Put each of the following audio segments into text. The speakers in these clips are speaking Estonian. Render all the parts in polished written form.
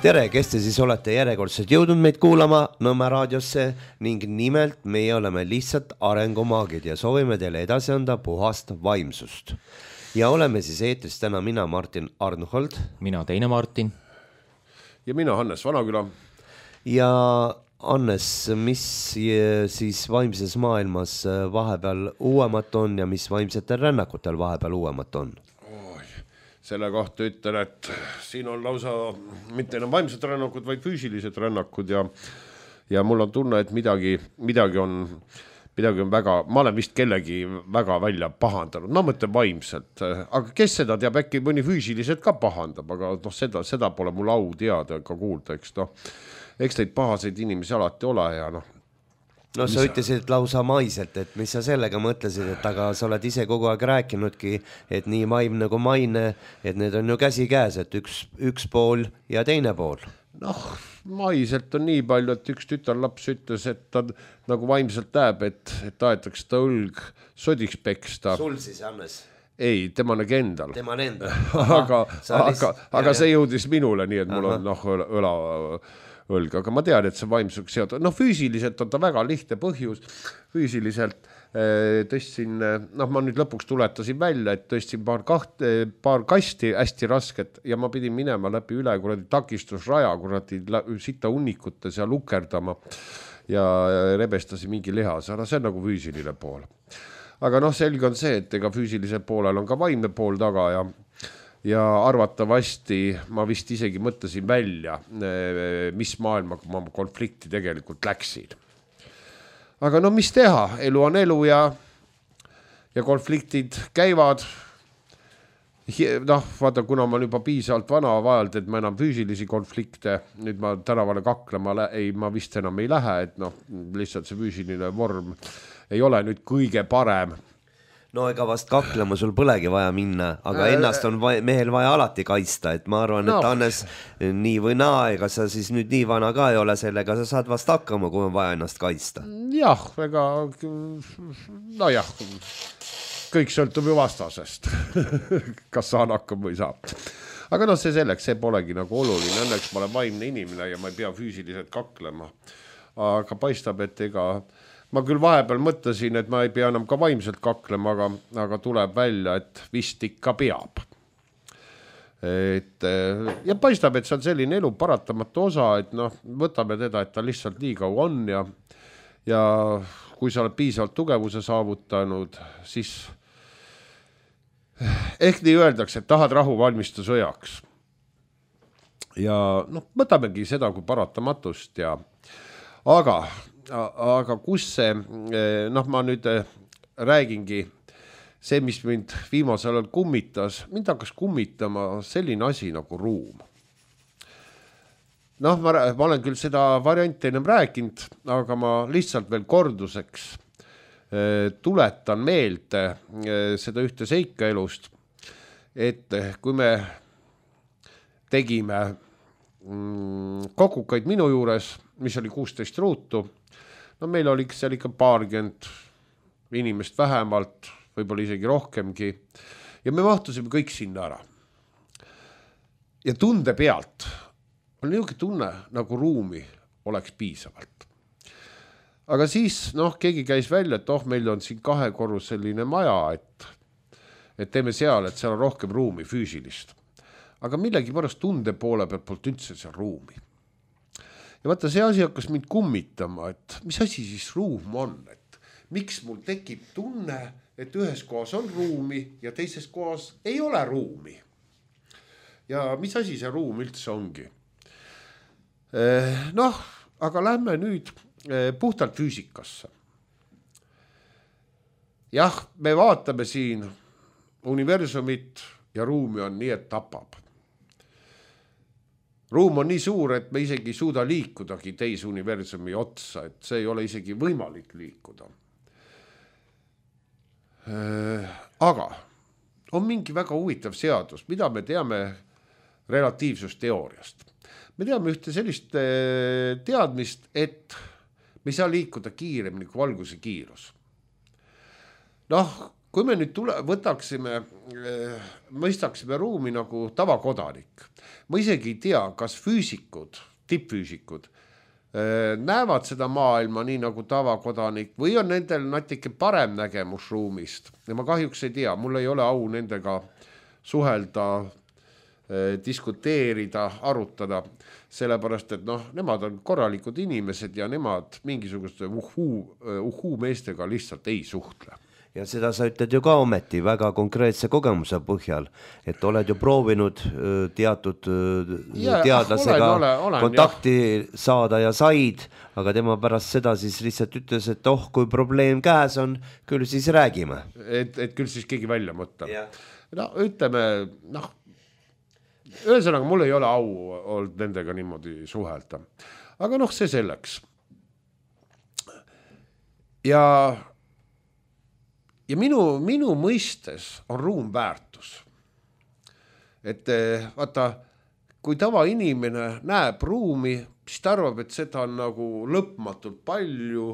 Tere, kes te siis olete järjekordselt jõudnud meid kuulama Nõmme raadiosse ning nimelt meie oleme lihtsalt arengumaagid ja soovime teile edasi anda puhast vaimsust. Ja oleme siis eetris täna mina, Martin Arnhold. Mina teine Martin. Ja mina Hannes Vanaküla. Ja Hannes, mis siis vaimses maailmas vahepeal uuemat on ja mis vaimsetel rännakutel vahepeal uuemat on? Selle kohta ütlen, et siin on lausa mitte enam vaimsed rännakud, vaid füüsilised rännakud ja mul on tunne, et midagi on väga, ma olen vist kellegi väga välja pahandanud, ma mõtlen vaimselt, aga kes seda teab, äkki mõni füüsiliselt ka pahandab, aga seda pole mul au teada ega kuulda, eks neid pahaseid inimesi alati ole ja No sa ütlesid lausa maiselt, et mis sa sellega mõtlesid, et aga sa oled ise kogu aeg rääkinudki, et nii vaimne kui maine, et need on ju käsi käes, et üks pool ja teine pool. Maiselt on nii palju, et üks tütarlaps ütles, et ta nagu vaimselt näeb, et tahetakse ta õlg sodiks peksta. Sul siis, Hannes? Ei, tema nägi endal. Tema on endal. Aga see jõudis minule, nii et mul on õla õlg, aga ma tean, et see vaimsusega seotud. Füüsiliselt on ta väga lihtne põhjus. Füüsiliselt tõstsin, ma nüüd lõpuks tuletasin välja, et tõstsin paar kasti hästi rasket ja ma pidin minema läbi üle kuradi takistusraja, kuradi sita hunnikute seal lukerdama ja rebestasin mingi lihas. See on nagu füüsiline pool. Aga selge on see, et ega füüsilisel poolel on ka vaimne pool taga ja arvatavasti ma vist isegi mõtlesin välja, mis maailmaga ma konflikti tegelikult läksin. Aga mis teha, elu on elu ja konfliktid käivad. Vaata, kuna ma olen juba piisavalt vana vajalt, et ma enam füüsilisi konflikte, nüüd ma tänavale kaklema, ma vist enam ei lähe, et lihtsalt see füüsiline vorm ei ole nüüd kõige parem. No ega vast kaklema sul põlegi vaja minna, aga ennast on mehel vaja alati kaitsta, et ma arvan, et Hannes nii või naa, ega sa siis nüüd nii vana ka ei ole sellega, sa saad vast hakkama, kui on vaja ennast kaitsta. Jah, kõik sõltub ju vastasest, kas saan hakkama või saab. Aga see selleks, see polegi nagu oluline, õnneks ma olen vaimne inimene ja ma ei pea füüsiliselt kaklema, aga paistab, et ma küll vahepeal mõtlesin, et ma ei pea enam ka vaimselt kaklema, aga tuleb välja, et vist ikka peab. Ja paistab, et see on selline elu paratamatu osa, et võtame teda, et ta lihtsalt nii kaua on ja kui sa oled piisavalt tugevuse saavutanud, siis ehk nii öeldakse, et tahad rahu, valmista sõjaks. Ja võtamegi seda kui paratamatust aga kus see, ma nüüd räägingi, see, mis mind viimasel ajal kummitas, mind hakkas kummitama selline asi nagu ruum. Ma olen küll seda varianti ennem rääkinud, aga ma lihtsalt veel korduseks tuletan meelde seda ühte seika elust, et kui me tegime kokukaid minu juures, mis oli 16 ruutu, meil oli seal ikka paarkümmend inimest vähemalt, võib-olla isegi rohkemgi, ja me mahtusime kõik sinna ära. Ja tunde pealt on niisugune tunne, nagu ruumi oleks piisavalt. Aga siis, keegi käis välja, et meil on siin 2-korruseline maja, et teeme seal, et seal on rohkem ruumi füüsilist. Aga millegi pärast tunde poole pealt üldse seal ruumi. Ja vaata, see asi hakkas mind kummitama, et mis asi siis ruum on, et miks mul tekib tunne, et ühes kohas on ruumi ja teises kohas ei ole ruumi. Ja mis asi see ruum üldse ongi? Aga lähme nüüd puhtalt füüsikasse. Jah, me vaatame siin universumit ja ruumi on nii, et tapab. Ruum on nii suur, et me isegi ei suuda liikudagi teise universumi otsa, et see ei ole isegi võimalik liikuda. Aga on mingi väga huvitav seadus, mida me teame relatiivsusteooriast. Me teame ühte sellist teadmist, et me ei saa liikuda kiiremini kui valguse kiirus. kui me nüüd mõistaksime ruumi nagu tavakodanik, ma isegi ei tea, kas füüsikud, tippfüüsikud näevad seda maailma nii nagu tavakodanik või on nendel natuke parem nägemus ruumist ja ma kahjuks ei tea, mul ei ole au nendega suhelda, diskuteerida, arutada, sellepärast, et nemad on korralikud inimesed ja nemad mingisuguste uhuu meestega lihtsalt ei suhtle. Ja seda sa ütled ju ka ometi väga konkreetse kogemuse põhjal, et oled ju proovinud teatud teadlasega kontakti saada ja said, aga tema pärast seda siis lihtsalt ütles, et kui probleem käes on, küll siis räägime. Et küll siis keegi välja mõtleb. No ütleme, ühesõnaga mul ei ole au olnud nendega niimoodi suhelda. Aga see selleks. Ja minu mõistes on ruum väärtus. Et vaata, kui tavainimene näeb ruumi, siis ta arvab, et seda on nagu lõpmatult palju,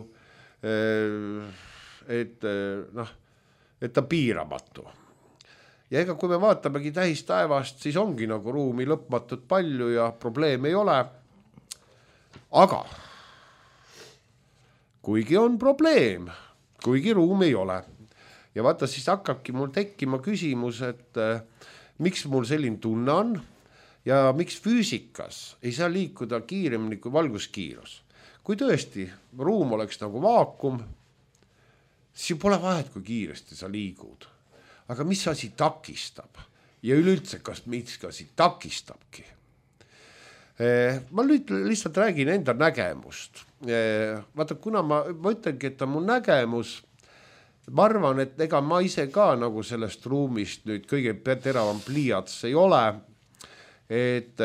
et ta piiramatu. Ja ega kui me vaatamegi tähistaevast, siis ongi nagu ruumi lõpmatult palju ja probleem ei ole. Aga kuigi on probleem, kuigi ruum ei ole. Ja vaata, siis hakkabki mul tekkima küsimus, et miks mul selline tunne on ja miks füüsikas ei saa liikuda kiiremini kui valguskiirus. Kui tõesti ruum oleks nagu vaakum, siis ju pole vahet, kui kiiresti sa liigud. Aga mis asi takistab? Ja üleüldse, kas mis asi takistabki? Ma nüüd lihtsalt räägin enda nägemust. Vaata, kuna ma ütlengi, et on mu nägemus, ma arvan, et ega ma ise ka nagu sellest ruumist nüüd kõige teravam pliiats ei ole, et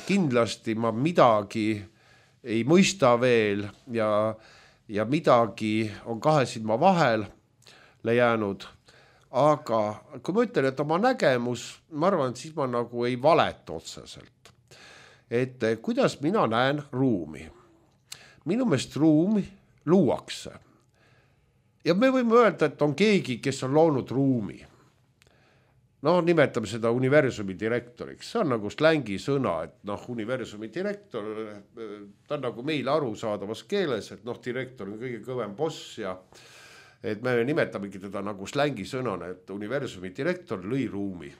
kindlasti ma midagi ei mõista veel ja midagi on kahe silma vahel jäänud, aga kui ma ütlen, et oma nägemus, ma arvan, et siis ma nagu ei valeta otseselt. Et kuidas mina näen ruumi? Minu meelest ruumi luuakse. Ja me võime öelda, et on keegi, kes on loonud ruumi. Nimetame seda universumi direktoriks. See on nagu slängi sõna, et universumi direktor, ta on nagu meil arusaadavas keeles, et direktor on kõige kõvem boss ja et me nimetamegi teda nagu slängi sõnana, et universumi direktor lõi ruumi.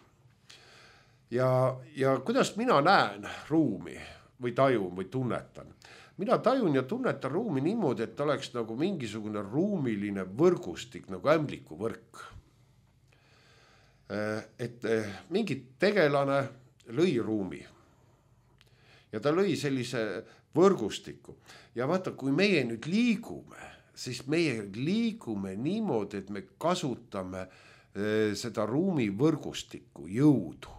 Ja kuidas mina näen ruumi või tajun või tunnetan? Mina tajun ja tunnetan ruumi niimoodi, et oleks nagu mingisugune ruumiline võrgustik, nagu ämbliku võrk. Et mingi tegelane lõi ruumi ja ta lõi sellise võrgustiku. Ja vaata, kui meie nüüd liigume, siis meie liigume niimoodi, et me kasutame seda ruumi võrgustikku jõudu.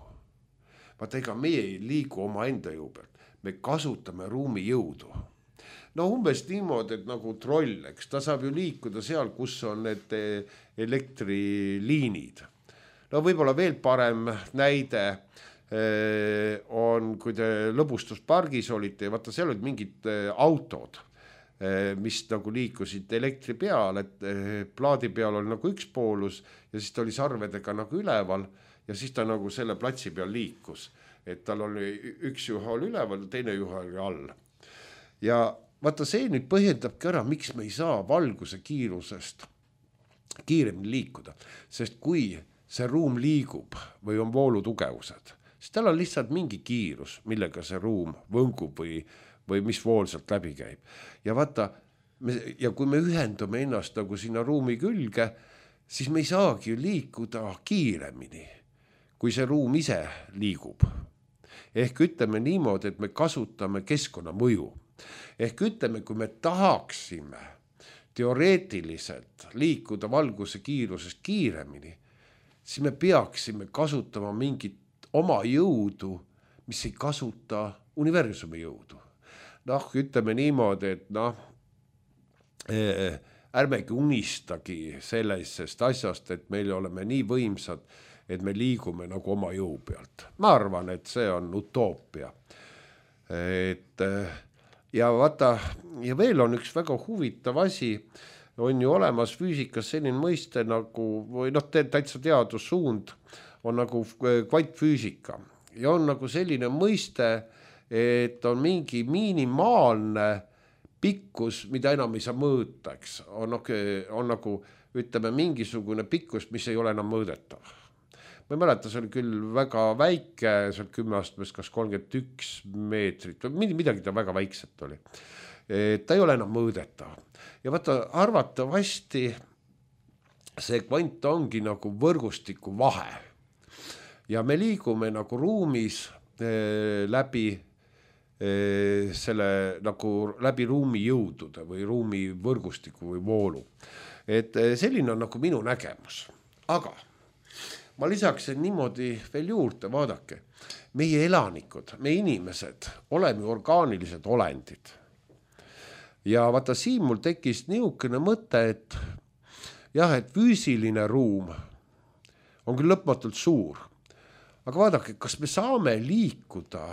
Vaata, ega meie ei liigu oma enda jõu pealt, me kasutame ruumi jõudu. Umbes niimoodi, et nagu troll, eks ta saab ju liikuda seal, kus on need elektriliinid. Võib-olla veel parem näide on, kui te lõbustuspargis olite ja vaata, seal olid mingid autod, mis nagu liikusid elektri peal, et plaadi peal oli nagu üks poolus ja siis ta oli sarvedega nagu üleval ja siis ta nagu selle platsi peal liikus, et tal oli üks juha oli üleval, teine juha oli all. Ja vaata, see nüüd põhjendabki ära, miks me ei saa valguse kiirusest kiiremini liikuda, sest kui see ruum liigub või on voolutugevused, siis tal on lihtsalt mingi kiirus, millega see ruum võngub või mis vool sealt läbi käib. Ja vaata, ja kui me ühendume ennast nagu sinna ruumi külge, siis me ei saagi liikuda kiiremini, kui see ruum ise liigub. Ehk ütleme niimoodi, et me kasutame keskkonna mõju. Ehk ütleme, kui me tahaksime teoreetiliselt liikuda valguse kiirusest kiiremini, siis me peaksime kasutama mingit oma jõudu, mis ei kasuta universumi jõudu. Ütleme niimoodi, et ärmegi unistagi sellisest asjast, et meil oleme nii võimsad, et me liigume nagu oma jõu pealt. Ma arvan, et see on utoopia. Ja vaata, ja veel on üks väga huvitav asi, on ju olemas füüsikas selline mõiste nagu, või täitsa teadussuund on nagu kvantfüüsika ja on nagu selline mõiste, et on mingi minimaalne pikkus, mida enam ei saa mõõta, eks. On nagu, ütleme, mingisugune pikkus, mis ei ole enam mõõdetav. Ma ei mäleta, see oli küll väga väike, see oli 10 astmes, kas 31 meetrit, midagi ta väga väikselt oli. Ta ei ole enam mõõdetav. Ja vaata, arvatavasti see kvant ongi nagu võrgustiku vahe. Ja me liigume nagu ruumis läbi selle nagu läbi ruumi jõudude või ruumi võrgustiku või voolu. Et selline on nagu minu nägemus. Aga ma lisaksin niimoodi veel juurde, vaadake, meie elanikud, meie inimesed, oleme orgaanilised olendid. Ja vaata, siin mul tekkis niisugune mõte, et jah, et füüsiline ruum on küll lõpmatult suur, aga vaadake, kas me saame liikuda,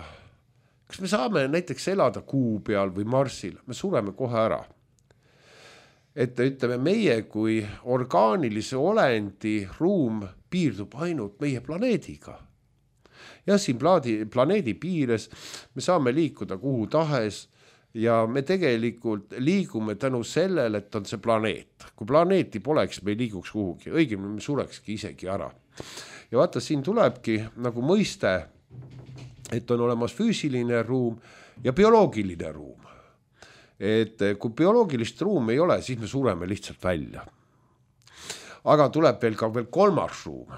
kas me saame näiteks elada Kuu peal või Marsil, me sureme kohe ära. Et ütleme, meie kui orgaanilise olendi ruum piirdub ainult meie planeediga. Ja siin planeedi piires me saame liikuda kuhu tahes ja me tegelikult liigume tänu sellele, et on see planeet. Kui planeeti poleks, me ei liiguks kuhugi, õigemini me surekski isegi ära. Ja vaata, siin tulebki nagu mõiste, et on olemas füüsiline ruum ja bioloogiline ruum. Et kui bioloogilist ruumi ei ole, siis me sureme lihtsalt välja. Aga tuleb veel ka kolmas ruum,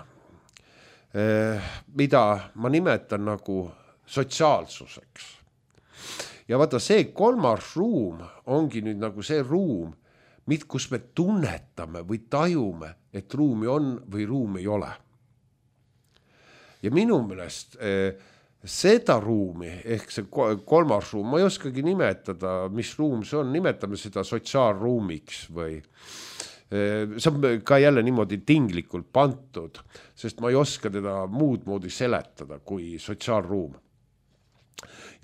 mida ma nimetan nagu sotsiaalsuseks. Ja vaata, see kolmas ruum ongi nüüd nagu see ruum, kus me tunnetame või tajume, et ruumi on või ruumi ei ole. Ja minu meelest seda ruumi, ehk see kolmas ruum, ma ei oskagi nimetada, mis ruum see on, nimetame seda sotsiaalruumiks või see on ka jälle niimoodi tinglikult pantud, sest ma ei oska teda muud moodi seletada kui sotsiaalruum.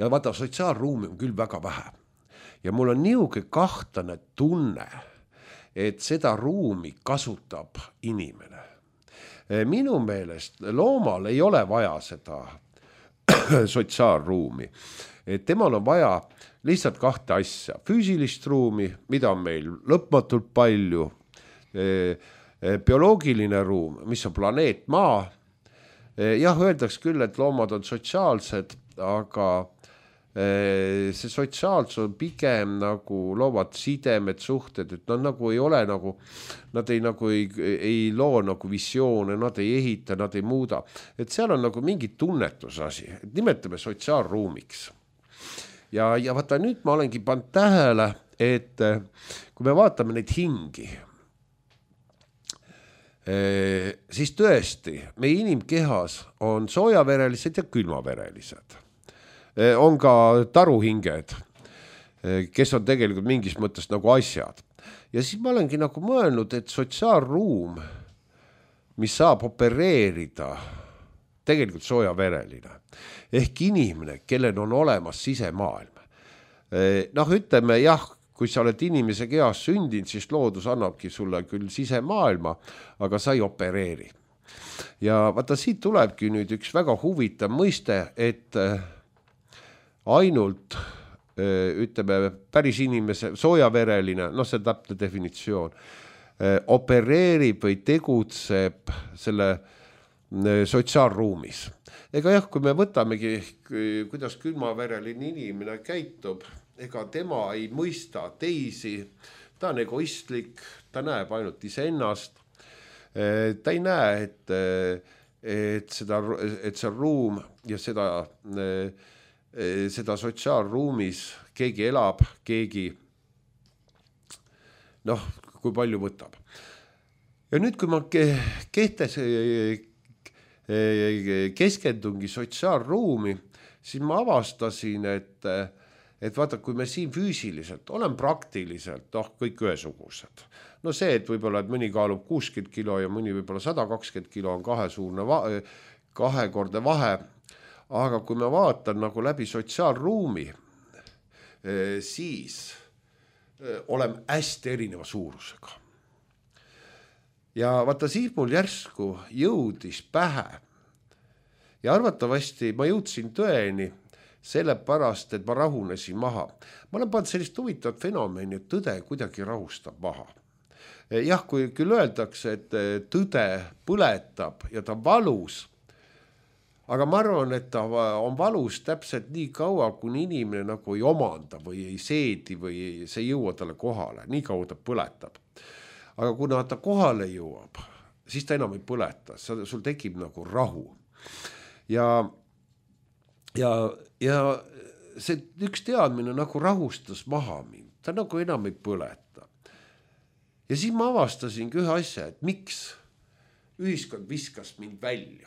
Ja vaata, sotsiaalruumi on küll väga vähe ja mul on niisugune kahtlane tunne, et seda ruumi kasutab inimene. Minu meelest loomal ei ole vaja seda sotsiaalruumi. Et temal on vaja lihtsalt kahte asja. Füüsilist ruumi, mida on meil lõpmatult palju, bioloogiline ruum, mis on planeet Maa. Jah, öeldaks küll, et loomad on sotsiaalsed, aga see sotsiaalsus on pigem nagu loovad sidemed, suhted, et nad nagu ei ole nagu, nad ei loo nagu visioone, nad ei ehita, nad ei muuda. Et seal on nagu mingi tunnetusasi, et nimetame sotsiaalruumiks. Ja vaata, nüüd ma olengi pannud tähele, et kui me vaatame neid hingi, siis tõesti, meie inimkehas on soojaverelised ja külmaverelised. On ka taruhinged, kes on tegelikult mingis mõttes nagu asjad. Ja siis ma olengi nagu mõelnud, et sotsiaalruum, mis saab opereerida, tegelikult soojavereline, ehk inimene, kellel on olemas sisemaailm. Noh, ütleme, jah, kui sa oled inimese kehas sündinud, siis loodus annabki sulle küll sisemaailma, aga sa ei opereeri. Ja vaata, siit tulebki nüüd üks väga huvitav mõiste, et ainult, ütleme, päris inimese, soojavereline, noh, see täpne definitsioon, opereerib või tegutseb selle sotsiaalruumis. Ega jah, kui me võtamegi, kuidas külmavereline inimene käitub, ega tema ei mõista teisi, ta on egoistlik, ta näeb ainult iseennast, ta ei näe, et see ruum ja seda sotsiaalruumis keegi elab, keegi, noh, kui palju võtab. Ja nüüd, kui ma keskendungi sotsiaalruumi, siis ma avastasin, et vaata, kui me siin füüsiliselt olen praktiliselt, kõik ühesugused. No see, et võib-olla, et mõni kaalub 60 kilo ja mõni võib-olla 120 kilo on kahekordne vahe, aga kui me vaatan nagu läbi sotsiaalruumi, siis oleme hästi erineva suurusega. Ja vaata siis mul järsku jõudis pähe ja arvatavasti ma jõudsin tõeni sellepärast, et ma rahunesin maha. Ma olen pannud sellist huvitavat fenomeni, et tõde kuidagi rahustab maha. Jah, kui küll öeldakse, et tõde põletab ja ta valus, aga ma arvan, et ta on valus täpselt nii kaua, kuni inimene nagu ei omanda või ei seedi või see ei jõua talle kohale, nii kaua ta põletab. Aga kuna ta kohale jõuab, siis ta enam ei põleta, sul tekib nagu rahu. Ja see üks teadmine nagu rahustas maha mind, ta nagu enam ei põleta. Ja siis ma avastasingi ühe asja, et miks ühiskond viskas mind välja.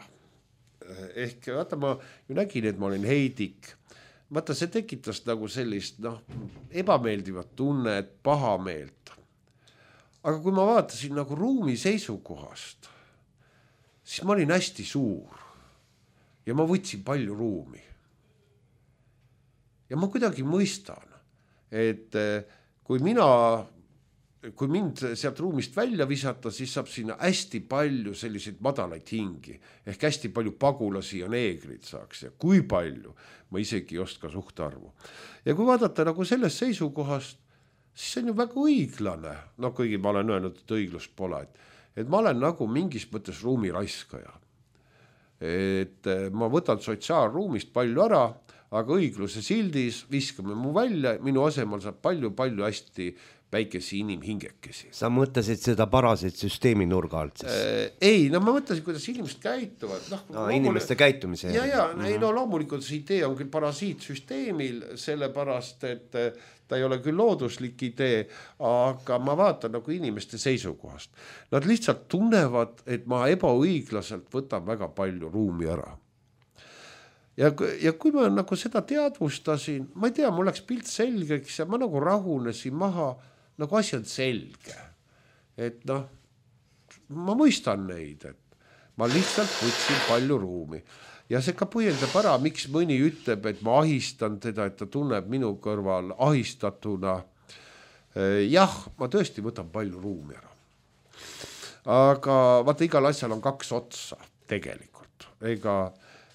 Ehk vaata, ma ju nägin, et ma olin heidik. Vaata, see tekitas nagu sellist ebameeldivat tunnet, pahameelt. Aga kui ma vaatasin nagu ruumi seisukohast, siis ma olin hästi suur ja ma võtsin palju ruumi. Ja ma kuidagi mõistan, et kui mind sealt ruumist välja visata, siis saab sinna hästi palju selliseid madalaid hingi, ehk hästi palju pagulasi ja neegrid saaks ja kui palju, ma isegi ei oska suhtarvu. Ja kui vaadata nagu sellest seisukohast, siis see on ju väga õiglane, kuigi ma olen öelnud, et õiglust pole, et ma olen nagu mingis mõttes ruumi raiskaja. Et ma võtan sotsiaalruumist palju ära, aga õigluse sildis viskame mu välja, minu asemel saab palju hästi väikesi inimhingekesi. Sa mõtlesid seda parasit süsteemi nurga alt siis? Ei, ma mõtlesin, kuidas inimesed käituvad. Inimeste käitumise. Loomulikult see idee on küll parasiitsüsteemil, sellepärast, et ta ei ole küll looduslik idee, aga ma vaatan nagu inimeste seisukohast. Nad lihtsalt tunnevad, et ma ebaõiglaselt võtan väga palju ruumi ära. Ja kui ma nagu seda teadvustasin, ma ei tea, mul läks pilt selgeks ja ma nagu rahunesin maha, nagu asi on selge. Et ma mõistan neid, et ma lihtsalt võtsin palju ruumi. Ja see ka põhjendab ära, miks mõni ütleb, et ma ahistan teda, et ta tunneb minu kõrval ahistatuna. Jah, ma tõesti võtan palju ruumi ära. Aga vaata, igal asjal on kaks otsa tegelikult.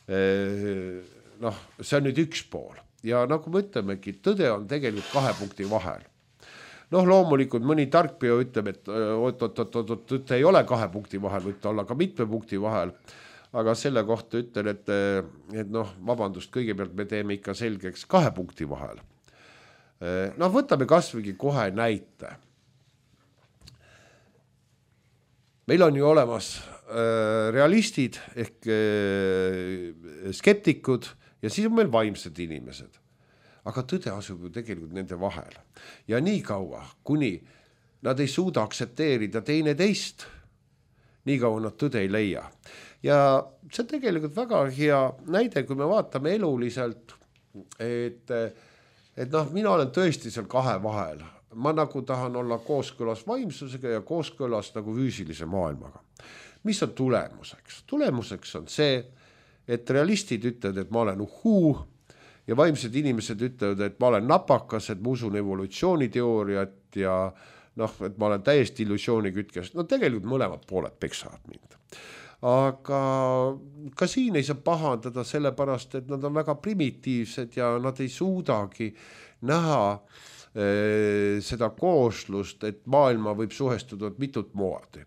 See on nüüd üks pool ja nagu me ütlemegi, tõde on tegelikult 2 punkti vahel. Loomulikult mõni tarkpea ütleb, et tõde ei ole 2 punkti vahel, võib ta olla ka mitme punkti vahel, aga selle kohta ütlen, et vabandust, kõigepealt me teeme ikka selgeks 2 punkti vahel. Võtame kasvõigi kohe näite. Meil on ju olemas realistid ehk skeptikud ja siis on meil vaimsed inimesed. Aga tõde asub ju tegelikult nende vahel. Ja nii kaua, kuni nad ei suuda aktsepteerida teine teist, nii kaua nad tõde ei leia. Ja see on tegelikult väga hea näide, kui me vaatame eluliselt, et mina olen tõesti seal 2 vahel. Ma nagu tahan olla kooskõlas vaimsusega ja kooskõlas nagu füüsilise maailmaga. Mis on tulemuseks? Tulemuseks on see, et realistid ütlevad, et ma olen uhuu ja vaimsed inimesed ütlevad, et ma olen napakas, et ma usun evolutsiooniteooriat ja et ma olen täiesti illusioonikytkes. Tegelikult mõlemad pooled peksavad mind. Aga ka siin ei saa pahandada sellepärast, et nad on väga primitiivsed ja nad ei suudagi näha seda kooslust, et maailma võib suhestuda mitut moodi.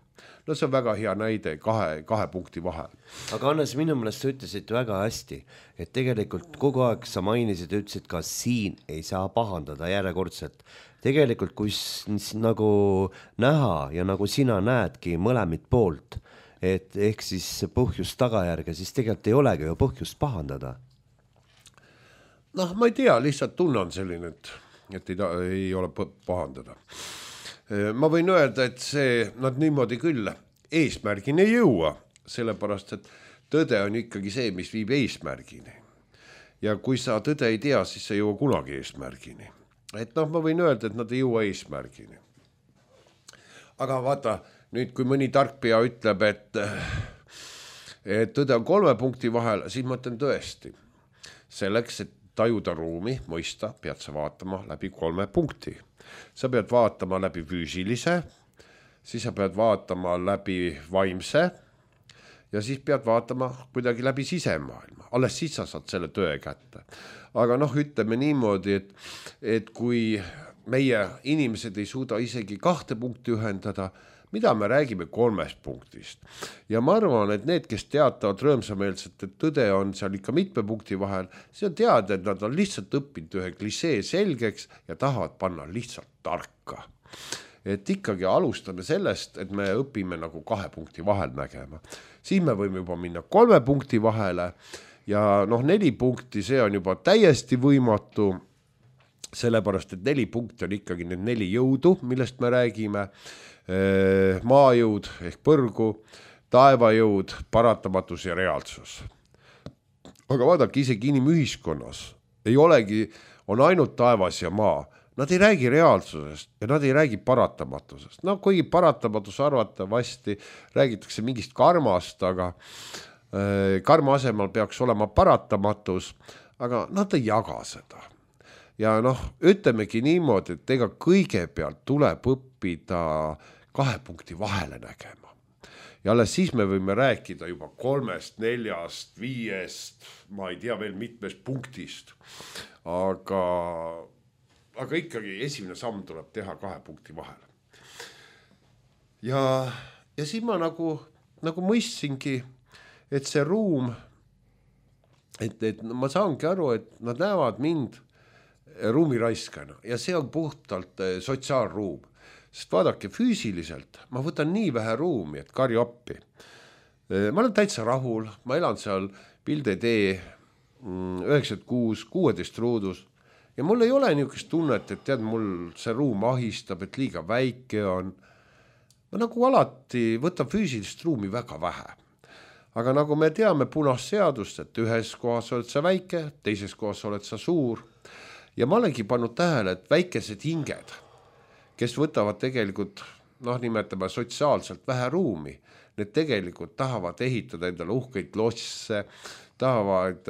See on väga hea näide 2 punkti vahel. Aga Hannes, minu meelest sa ütlesid väga hästi, et tegelikult kogu aeg sa mainisid, ütlesid ka siin ei saa pahandada järjekordselt. Tegelikult kui nagu näha ja nagu sina näedki mõlemit poolt, et ehk siis põhjust tagajärge, siis tegelikult ei olegi ju põhjust pahandada. Ma ei tea, lihtsalt tunne on selline, et ei ole pahandada. Ma võin öelda, et nad niimoodi küll eesmärgini ei jõua, sellepärast, et tõde on ikkagi see, mis viib eesmärgini. Ja kui sa tõde ei tea, siis sa ei jõua kunagi eesmärgini. Et ma võin öelda, et nad ei jõua eesmärgini. Aga vaata, nüüd kui mõni tarkpea ütleb, et tõde on 3 punkti vahel, siis ma ütlen tõesti. Selleks, et tajuda ruumi, mõista, pead sa vaatama läbi 3 punkti. Sa pead vaatama läbi füüsilise, siis sa pead vaatama läbi vaimse ja siis pead vaatama kuidagi läbi sisemaailma. Alles siis sa saad selle tõe kätte. Aga ütleme niimoodi, et kui meie inimesed ei suuda isegi 2 punkti ühendada, mida me räägime 3 punktist. Ja ma arvan, et need, kes teatavad rõõmsameelselt, et tõde on seal ikka mitme punkti vahel, see on teada, et nad on lihtsalt õppinud ühe klisee selgeks ja tahavad panna lihtsalt tarka. Et ikkagi alustame sellest, et me õpime nagu 2 punkti vahel nägema. Siis me võime juba minna 3 punkti vahele ja 4 punkti, see on juba täiesti võimatu, sellepärast, et 4 punkti on ikkagi need 4 jõudu, millest me räägime. Maajõud ehk põrgu, taevajõud, paratamatus ja reaalsus. Aga vaadake, isegi inimühiskonnas ei olegi, on ainult taevas ja maa. Nad ei räägi reaalsusest ja nad ei räägi paratamatusest. Kuigi paratamatus arvatavasti räägitakse mingist karmast, aga karma asemel peaks olema paratamatus, aga nad ei jaga seda. Ja ütlemegi niimoodi, et ega kõigepealt tuleb õppida 2 punkti vahele nägema. Ja alles siis me võime rääkida juba 3, 4, 5, ma ei tea veel mitmest punktist. Aga ikkagi esimene samm tuleb teha 2 punkti vahele. Ja siis ma nagu mõistsingi, et see ruum, et ma saangi aru, et nad näevad mind ruumiraiskana ja see on puhtalt sotsiaalruum. Sest vaadake, füüsiliselt ma võtan nii vähe ruumi, et karju appi. Ma olen täitsa rahul, ma elan seal Pilde-tee 96, 16 ruudus ja mul ei ole niisugust tunnet, et tead, mul see ruum ahistab, et liiga väike on. Ma nagu alati võtan füüsilist ruumi väga vähe. Aga nagu me teame punast seadust, et ühes kohas oled sa väike, teises kohas oled sa suur. Ja ma olengi pannud tähele, et väikesed hinged, kes võtavad tegelikult, nimetame sotsiaalselt vähe ruumi, need tegelikult tahavad ehitada endale uhkeid losse, tahavad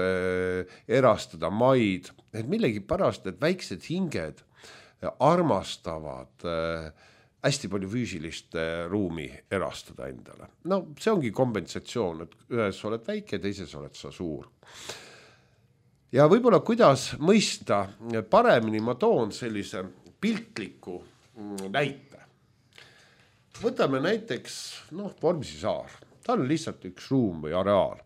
erastada maid, et millegi pärast need väiksed hinged armastavad hästi palju füüsilist ruumi erastada endale. See ongi kompensatsioon, et ühes oled väike, teises oled sa suur. Ja võib-olla kuidas mõista paremini, ma toon sellise piltliku näite. Võtame näiteks Vormsi saar. Ta on lihtsalt üks ruum või areaal.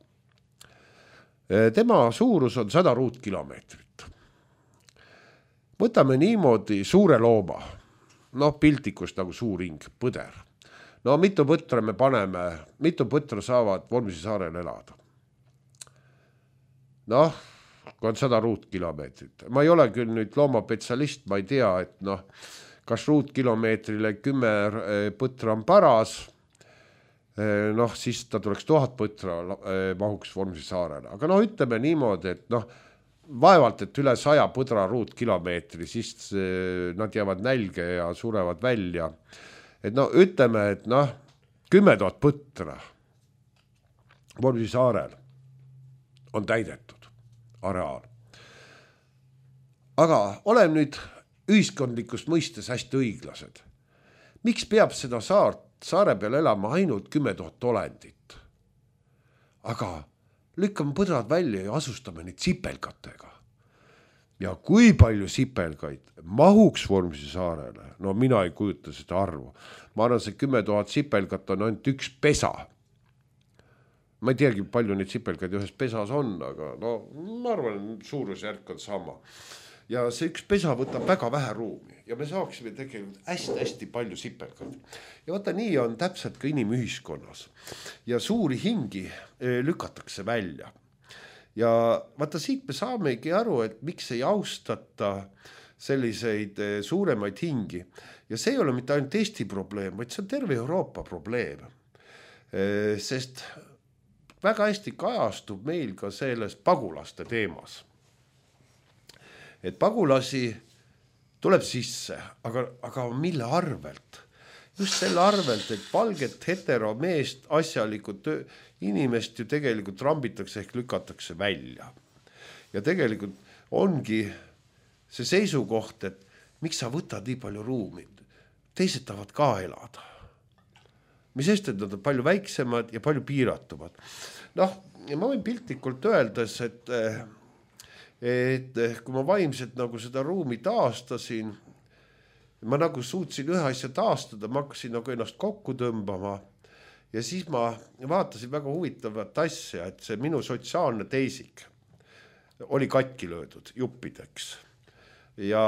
Tema suurus on 100 ruutkilomeetrit. Võtame niimoodi suure looma. Piltlikust nagu suur hing, põder. Mitu põtra me paneme, mitu põtra saavad Vormsi saarel elada? Kui on 100 ruutkilomeetrit. Ma ei ole küll nüüd loomapetsialist, ma ei tea, et kas ruutkilomeetrile 10 põtra on paras, siis ta tuleks 1000 põtra mahuks Vormsi saarele. Aga ütleme niimoodi, et vaevalt, et üle 100 põdra ruutkilomeetri, siis nad jäävad nälge ja surevad välja. Et ütleme, et 10 000 põtra Vormsi saarel on täidetud areaal. Aga oleme nüüd ühiskondlikust mõistes hästi õiglased. Miks peab seda saare peal elama ainult 10 000 olendit? Aga lükkame põdrad välja ja asustame neid sipelgatega. Ja kui palju sipelgaid mahuks Vormsi saarele? Mina ei kujuta seda arvu. Ma arvan, see 10 000 sipelgat on ainult üks pesa. Ma ei teagi, palju neid sipelgaid ühes pesas on, aga ma arvan, suurusjärk on sama. Ja see üks pesa võtab väga vähe ruumi ja me saaksime tegelikult hästi palju sipelgaid. Ja vaata, nii on täpselt ka inimühiskonnas. Ja suuri hingi lükatakse välja. Ja vaata, siit me saamegi aru, et miks ei austata selliseid suuremaid hingi. Ja see ei ole mitte ainult Eesti probleem, vaid see on terve Euroopa probleem. Sest väga hästi kajastub meil ka selles pagulaste teemas. Et pagulasi tuleb sisse, aga mille arvelt? Just selle arvelt, et valget heteromeest asjalikud inimest ju tegelikult rambitakse ehk lükatakse välja. Ja tegelikult ongi see seisukoht, et miks sa võtad nii palju ruumi, teised tahavad ka elada. Mis sest, et nad on palju väiksemad ja palju piiratumad. Noh, ma võin piltlikult öeldes, et kui ma vaimselt nagu seda ruumi taastasin, ma nagu suutsin ühe asja taastada, ma hakkasin nagu ennast kokku tõmbama ja siis ma vaatasin väga huvitavat asja, et see minu sotsiaalne teisik oli katki löödud juppideks. Ja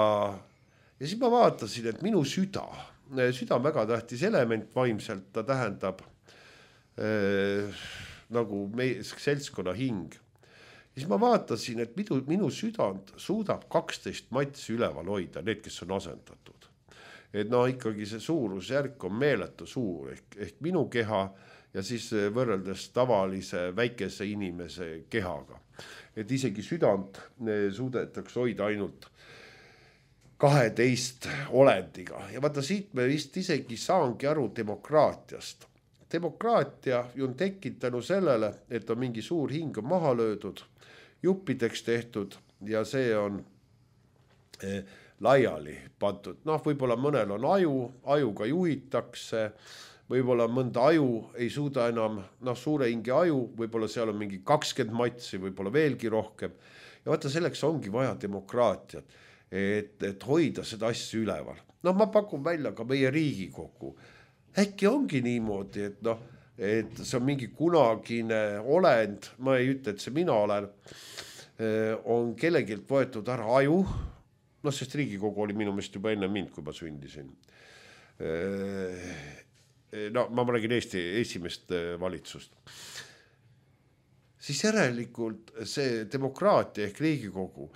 siis ma vaatasin, et minu süda on väga tähtis element vaimselt, ta tähendab nagu meie seltskonna hing. Siis ma vaatasin, et minu südant suudab 12 matsi üleval hoida, need, kes on asendatud. Et ikkagi see suurusjärk on meeletu suur ehk minu keha ja siis võrreldes tavalise väikese inimese kehaga. Et isegi südant suudetakse hoida ainult 12 olendiga. Ja vaata siit me vist isegi saangi aru demokraatiast. Demokraatia on tekkinud tänu sellele, et on mingi suur hing on maha löödud, juppideks tehtud ja see on laiali pandud. Võib-olla mõnel on ajuga juhitakse, võib-olla mõnda aju ei suuda enam, suure hinge aju, võib-olla seal on mingi 20 matsi, võib-olla veelgi rohkem. Ja vaata, selleks ongi vaja demokraatiat, et hoida seda asja üleval. Ma pakun välja ka meie Riigikogu. Äkki ongi niimoodi, et see on mingi kunagine olend, ma ei ütle, et see mina olen, on kellegilt võetud ära aju, sest Riigikogu oli minu meelest juba enne mind, kui ma sündisin. Ma räägin Eesti esimest valitsust. Siis järelikult see demokraatia ehk Riigikogu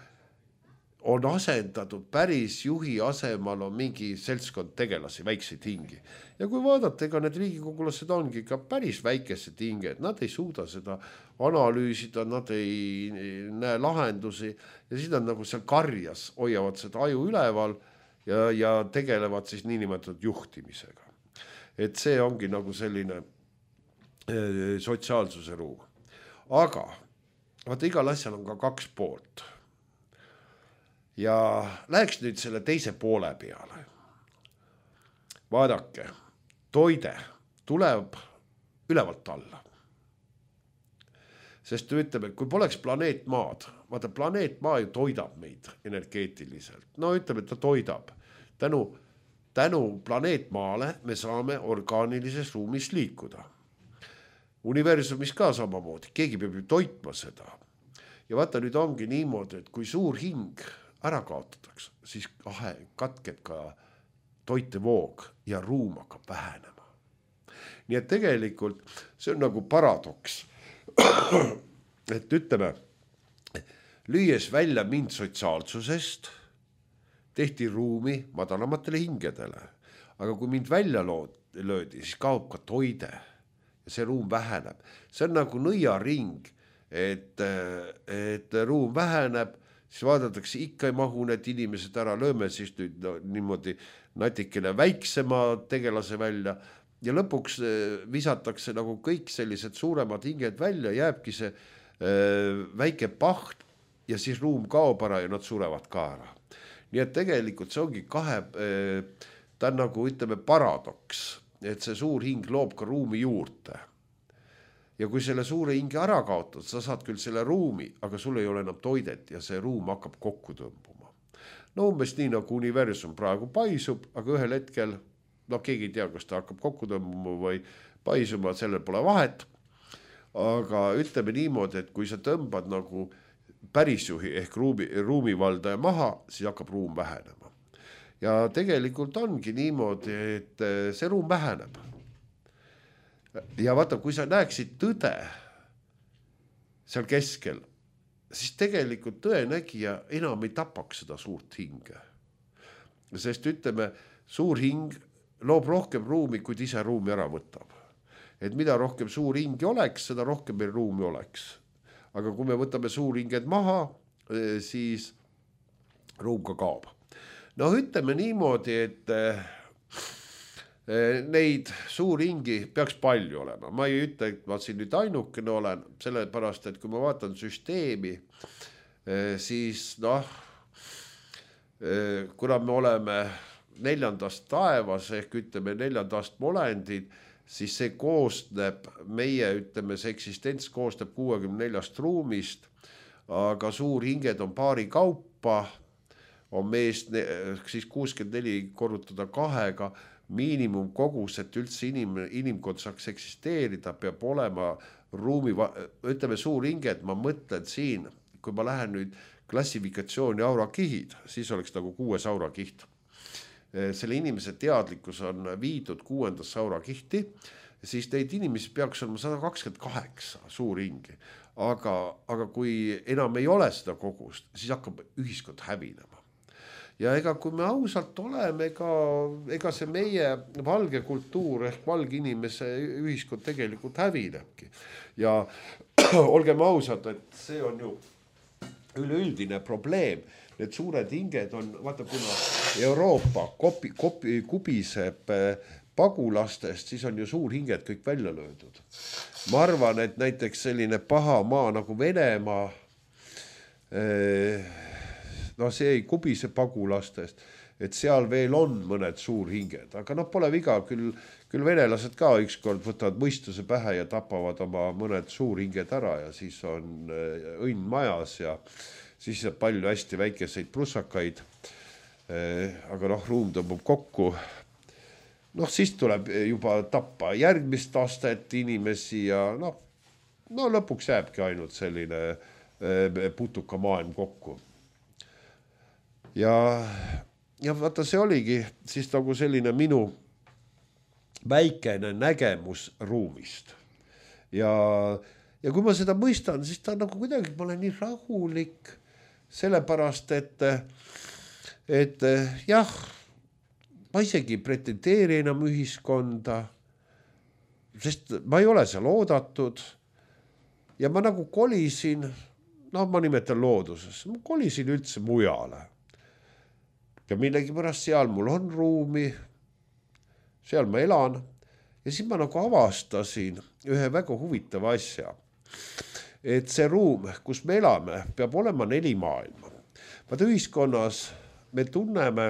on asendatud päris juhi asemal on mingi seltskond tegelasi, väikseid hingi. Ja kui vaadata, ega need riigikogulased ongi ka päris väikesed hinged, nad ei suuda seda analüüsida, nad ei näe lahendusi ja siis nad nagu seal karjas hoiavad seda aju üleval ja tegelevad siis niinimetatud juhtimisega. Et see ongi nagu selline sotsiaalsuse ruum. Aga vaata, igal asjal on ka 2 poolt. Ja läheks nüüd selle teise poole peale. Vaadake, toide tuleb ülevalt alla. Sest ütleme, kui poleks planeet Maad, vaata planeet Maa ju toidab meid energeetiliselt. Ütleme, et ta toidab. Tänu planeet Maale me saame orgaanilises ruumis liikuda. Universumis ka samamoodi, keegi peab ju toitma seda. Ja vaata, nüüd ongi niimoodi, et kui suur hing ära kaotatakse, siis katkeb ka toitevoog ja ruum hakkab vähenema. Nii et tegelikult see on nagu paradoks. Et ütleme, lüües välja mind sotsiaalsusest, tehti ruumi madalamatele hingedele. Aga kui mind välja löödi, siis kaob ka toide ja see ruum väheneb. See on nagu nõiaring, et ruum väheneb, siis vaadatakse, ikka ei mahu need inimesed ära, lööme siis nüüd niimoodi natikene väiksema tegelase välja ja lõpuks visatakse nagu kõik sellised suuremad hinged välja, jääbki see väike paht ja siis ruum kaob ära ja nad surevad ka ära. Nii et tegelikult see ongi ta on nagu ütleme paradoks, et see suur hing loob ka ruumi juurde. Ja kui selle suure hinge ära kaotad, sa saad küll selle ruumi, aga sul ei ole enam toidet ja see ruum hakkab kokku tõmbuma. Umbes nii nagu universum praegu paisub, aga ühel hetkel, keegi ei tea, kas ta hakkab kokku tõmbuma või paisuma, sellel pole vahet. Aga ütleme niimoodi, et kui sa tõmbad nagu pärisjuhi ehk ruumivaldaja maha, siis hakkab ruum vähenema. Ja tegelikult ongi niimoodi, et see ruum väheneb. Ja vaata, kui sa näeksid tõde seal keskel, siis tegelikult tõenägija enam ei tapaks seda suurt hinge. Sest ütleme, suur hing loob rohkem ruumi, kui ise ruumi ära võtab. Et mida rohkem suur hingi oleks, seda rohkem meil ruumi oleks. Aga kui me võtame suur hinged maha, siis ruum ka kaob. Ütleme niimoodi, et neid suurhingi peaks palju olema. Ma ei ütle, et ma siin nüüd ainukene olen, sellepärast, et kui ma vaatan süsteemi, siis kuna me oleme 4. taevas ehk ütleme 4. astme olendid, siis see koosneb, meie ütleme, see eksistents koosneb 64 ruumist, aga suurhinged on paari kaupa, on meest siis 64 korrutada 2-ga, miinimumkogus, et üldse inimkond saaks eksisteerida, peab olema ruumi, ütleme suurhinged, ma mõtlen siin, kui ma lähen nüüd klassifikatsiooni aurakihid, siis oleks nagu 6 aurakiht. Selle inimese teadlikkus on viidud 6. aurakihti, siis neid inimesi peaks olema 128 suurhingi. Aga kui enam ei ole seda kogust, siis hakkab ühiskond hävinema. Ja ega kui me ausalt oleme, ega see meie valge kultuur ehk valge inimese ühiskond tegelikult hävinebki. Ja olgem ausad, et see on ju üleüldine probleem. Need suured hinged on, vaata kuna Euroopa kubiseb pagulastest, siis on ju suurhinged kõik välja löödud. Ma arvan, et näiteks selline paha maa nagu Venemaa, see ei kubise pagulastest, et seal veel on mõned suurhinged, aga pole viga, küll venelased ka ükskord võtavad mõistuse pähe ja tapavad oma mõned suurhinged ära ja siis on õnn majas ja siis saab palju hästi väikeseid prussakaid, aga ruum tõmbub kokku. Siis tuleb juba tappa järgmist astet inimesi ja lõpuks jääbki ainult selline putuka maailm kokku. Ja vaata, see oligi siis nagu selline minu väikene nägemus ruumist. Ja kui ma seda mõistan, siis ta nagu kuidagi, ma olen nii rahulik, sellepärast, et jah, ma isegi pretendeeri enam ühiskonda, sest ma ei ole seal oodatud ja ma nagu kolisin, ma nimetan looduses, ma kolisin üldse mujale. Ja millegi pärast seal mul on ruumi, seal ma elan ja siis ma nagu avastasin ühe väga huvitava asja. Et see ruum, kus me elame, peab olema 4 maailma. Vaata ühiskonnas me tunneme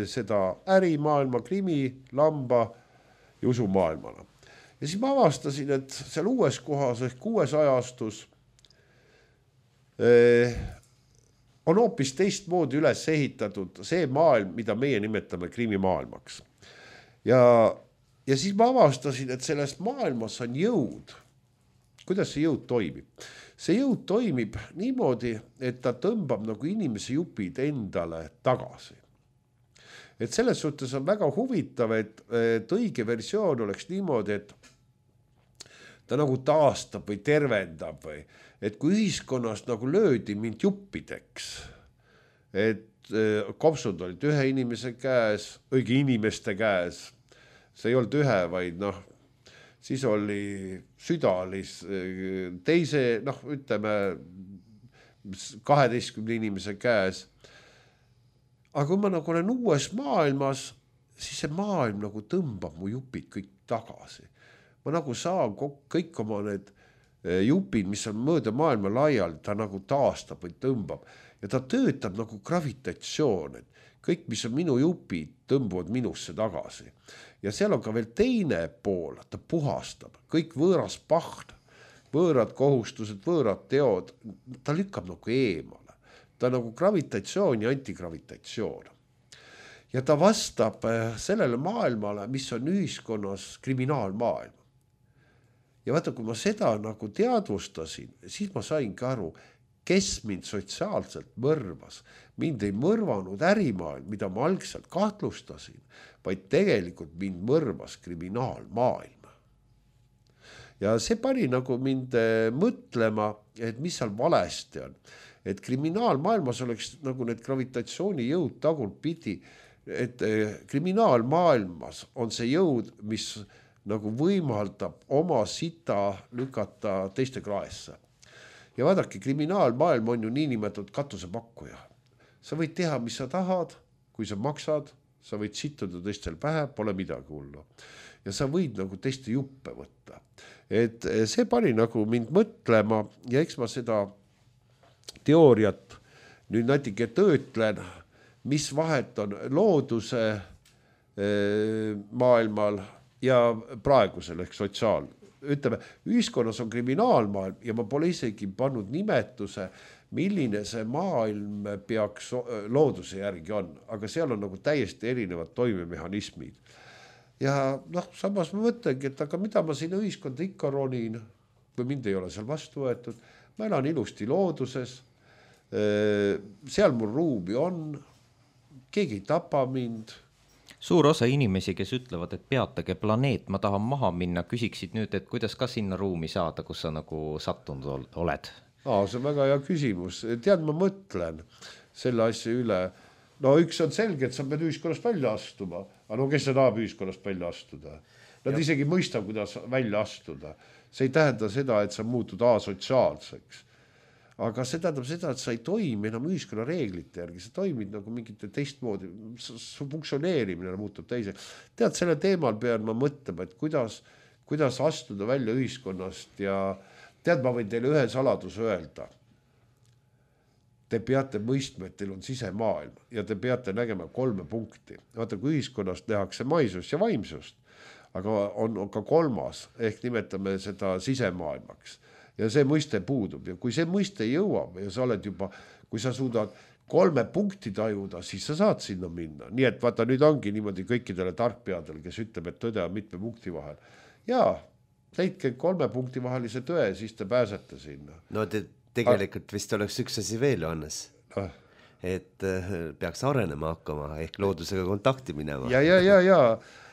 seda ärimaailma, krimi, lamba ja usumaailmana. Ja siis ma avastasin, et seal uues kohas ehk 6 ajastus on hoopis teistmoodi üles ehitatud see maailm, mida meie nimetame krimimaailmaks. Ja siis ma avastasin, et selles maailmas on jõud. Kuidas see jõud toimib? See jõud toimib niimoodi, et ta tõmbab nagu inimese jupid endale tagasi. Et selles suhtes on väga huvitav, et õige versioon oleks niimoodi, et ta nagu taastab või tervendab või et kui ühiskonnas nagu löödi mind juppideks, et kopsud olid ühe inimese käes, õige inimeste käes, see ei olnud ühe, vaid siis oli südalis teise, ütleme 12 inimese käes. Aga kui ma nagu olen uues maailmas, siis see maailm nagu tõmbab mu jupid kõik tagasi. Ma nagu saan kõik oma need jupid, mis on mööda maailma laial, ta nagu taastab või tõmbab. Ja ta töötab nagu gravitatsioon, et kõik, mis on minu jupid, tõmbuvad minusse tagasi. Ja seal on ka veel teine pool, ta puhastab. Kõik võõras pahd, võõrad kohustused, võõrad teod, ta lükkab nagu eemale. Ta on nagu gravitatsioon ja antigravitatsioon. Ja ta vastab sellele maailmale, mis on ühiskonnas kriminaalmaailm. Ja vaata, kui ma seda nagu teadvustasin, siis ma sain ka aru, kes mind sotsiaalselt mõrvas. Mind ei mõrvanud ärimaailm, mida ma algselt kahtlustasin, vaid tegelikult mind mõrvas kriminaalmaailm. Ja see pani nagu mind mõtlema, et mis seal valesti on. Et kriminaalmaailmas oleks nagu need gravitatsioonijõud tagurpidi, et kriminaalmaailmas on see jõud, mis nagu võimaldab oma sita lükata teiste kraesse. Ja vaadake, kriminaalmaailm on ju niinimetatud katusepakkuja. Sa võid teha, mis sa tahad, kui sa maksad, sa võid sittuda teistel pähe, pole midagi hullu. Ja sa võid nagu teiste juppe võtta. Et see pani nagu mind mõtlema ja eks ma seda teooriat nüüd natuke töötlen, mis vahet on looduse maailmal ja praegusel ehk sotsiaal. Ütleme, ühiskonnas on kriminaalmaailm ja ma pole isegi pannud nimetuse, milline see maailm peaks looduse järgi on, aga seal on nagu täiesti erinevad toimemehhanismid. Ja samas ma mõtlengi, et aga mida ma sinna ühiskonda ikka ronin, kui mind ei ole seal vastu võetud, ma elan ilusti looduses, seal mul ruumi on, keegi ei tapa mind. Suur osa inimesi, kes ütlevad, et peatage planeet, ma tahan maha minna, küsiksid nüüd, et kuidas ka sinna ruumi saada, kus sa nagu sattunud oled? See on väga hea küsimus. Tead, ma mõtlen selle asja üle. No üks on selge, et sa pead ühiskonnast välja astuma. Aga kes sa tahab ühiskonnast välja astuda? Nad isegi mõistab, kuidas välja astuda. See ei tähenda seda, et sa muutud asotsiaalseks. Aga see tähendab seda, et sa ei toimi enam ühiskonna reeglite järgi, sa toimid nagu mingite teistmoodi, su funktsioneerimine muutub teise. Tead, selle teemal pean ma mõtlema, et kuidas astuda välja ühiskonnast ja tead, ma võin teile ühe saladuse öelda. Te peate mõistma, et teil on sisemaailm ja te peate nägema 3 punkti. Vaata, kui ühiskonnast tehakse maisust ja vaimsust, aga on ka 3, ehk nimetame seda sisemaailmaks. Ja see mõiste puudub ja kui see mõiste jõuab ja sa oled juba, kui sa suudad 3 punkti tajuda, siis sa saad sinna minna. Nii et vaata, nüüd ongi niimoodi kõikidele tarkpeadel, kes ütleb, et tõde on mitme punkti vahel. Jaa, leidke 3 punkti vahelise tõe, siis te pääsete sinna. No tegelikult vist oleks üks asi veel, Johannes. Et peaks arenema hakkama, ehk loodusega kontakti minema. Ja.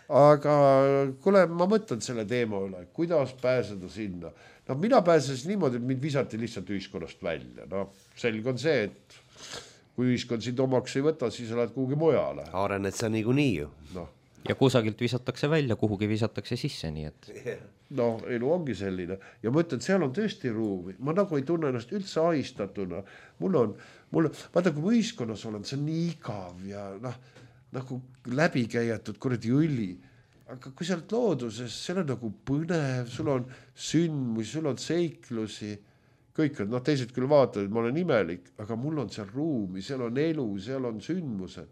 Aga kuule, ma mõtlen selle teema üle, kuidas pääseda sinna. Mina pääsesin niimoodi, et mind visati lihtsalt ühiskonnast välja. Selge on see, et kui ühiskond sind omaks ei võta, siis oled kuhugi mujale. Arened sa niikuinii ju. Ja kusagilt visatakse välja, kuhugi visatakse sisse, nii et... elu ongi selline. Ja ma ütlen, seal on tõesti ruumi. Ma nagu ei tunne ennast üldse ahistatuna. Vaata, kui ma ühiskonnas olen, see on nii igav ja nagu läbikäijatud kuradi õli. Aga kui sa oled looduses, seal on nagu põnev, sul on sündmusi, sul on seiklusi, kõik on, teised küll vaatavad, et ma olen imelik, aga mul on seal ruumi, seal on elu, seal on sündmused.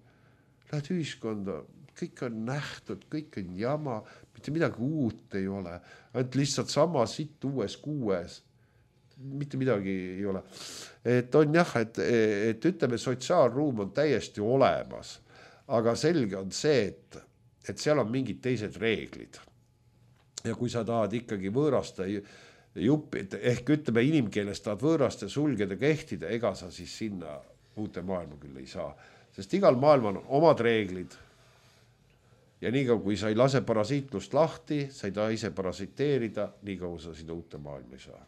Lähed ühiskonda, kõik on nähtud, kõik on jama, mitte midagi uut ei ole, ainult lihtsalt sama sitt uues kuues, mitte midagi ei ole. Et on jah, et ütleme, sotsiaalruum on täiesti olemas, aga selge on see, et seal on mingid teised reeglid. Ja kui sa tahad ikkagi võõraste juppid, ehk ütleme inimkeeles tahad võõraste sulgeda kehtida, ega sa siis sinna uute maailma küll ei saa. Sest igal maailmal on omad reeglid. Ja niikaua, kui sa ei lase parasiitlust lahti, sa ei taha ise parasiteerida, niikaua sa sinna uute maailma ei saa.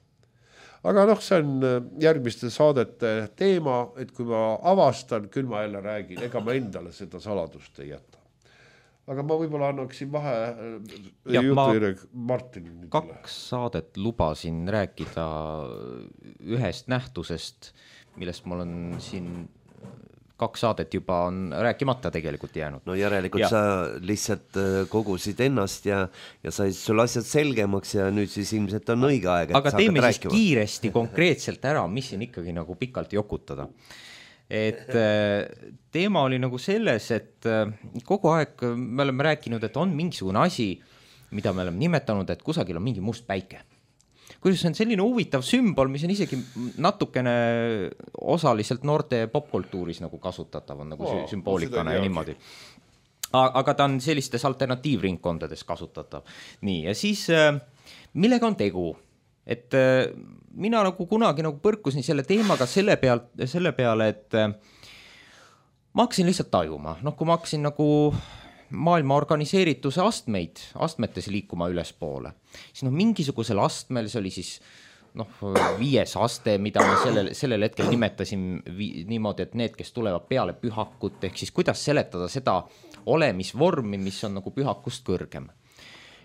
Aga see on järgmiste saadete teema, et kui ma avastan, küll ma jälle räägin, ega ma endale seda saladust ei jäta. Aga ma võib-olla annaksin vahe Martinile. 2 saadet lubasin rääkida ühest nähtusest, millest mul on siin 2 saadet juba on rääkimata tegelikult jäänud. No järelikult sa lihtsalt kogusid ennast ja said sul asjad selgemaks ja nüüd siis ilmselt on õige aeg. Aga teeme siis kiiresti konkreetselt ära, mis siin ikkagi nagu pikalt jokutada. Et teema oli nagu selles, et kogu aeg me oleme rääkinud, et on mingisugune asi, mida me oleme nimetanud, et kusagil on mingi must päike. Kuidas on selline huvitav sümbol, mis on isegi natukene osaliselt noorte popkultuuris nagu kasutatav, on nagu sümboolikana ja niimoodi. Aga ta on sellistes alternatiivringkondades kasutatav. Nii, ja siis millega on tegu? Et mina nagu kunagi nagu põrkusin selle teemaga selle peale, et ma hakkasin lihtsalt tajuma. Kui ma hakkasin nagu maailma organiseerituse astmetes liikuma üles poole, siis mingisugusel astmel, see oli siis 5. aste, mida ma sellel hetkel nimetasin niimoodi, et need, kes tulevad peale pühakut, ehk siis kuidas seletada seda olemisvormi, mis on nagu pühakust kõrgem.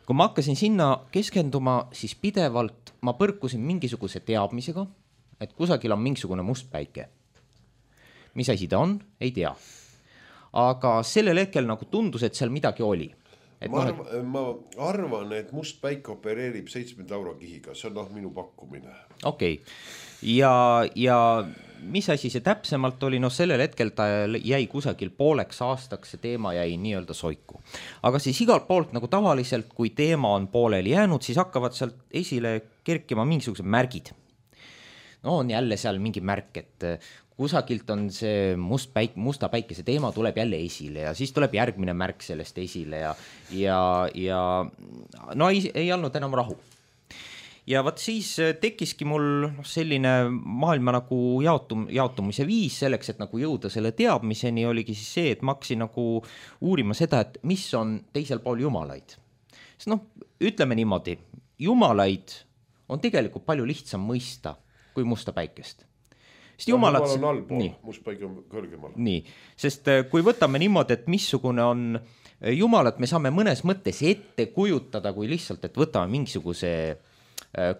Kui ma hakkasin sinna keskenduma, siis pidevalt ma põrkusin mingisuguse teadmisega, et kusagil on mingisugune must päike. Mis asi ta on? Ei tea. Aga sellel hetkel nagu tundus, et seal midagi oli. ma arvan, et must päike opereerib 7 eurokihiga, see on minu pakkumine. Okei. Ja mis asi see täpsemalt oli, sellel hetkel ta jäi kusagil pooleks aastaks, see teema jäi nii-öelda soiku. Aga siis igalt poolt nagu tavaliselt, kui teema on pooleli jäänud, siis hakkavad sealt esile kerkima mingisugused märgid. No on jälle seal mingi märk, et kusagilt on see musta päikese teema tuleb jälle esile ja siis tuleb järgmine märk sellest esile ja no ei olnud enam rahu. Ja vaat siis tekkiski mul selline maailma nagu jaotumise viis selleks, et nagu jõuda selle teadmiseni oligi siis see, et ma hakkasin nagu uurima seda, et mis on teisel pool jumalaid. Sest ütleme niimoodi, jumalaid on tegelikult palju lihtsam mõista kui musta päikest. Jumal on allpool, must päike on kõrgemal. Nii, sest kui võtame niimoodi, et missugune on jumalat, me saame mõnes mõttes ette kujutada, kui lihtsalt, et võtame mingisuguse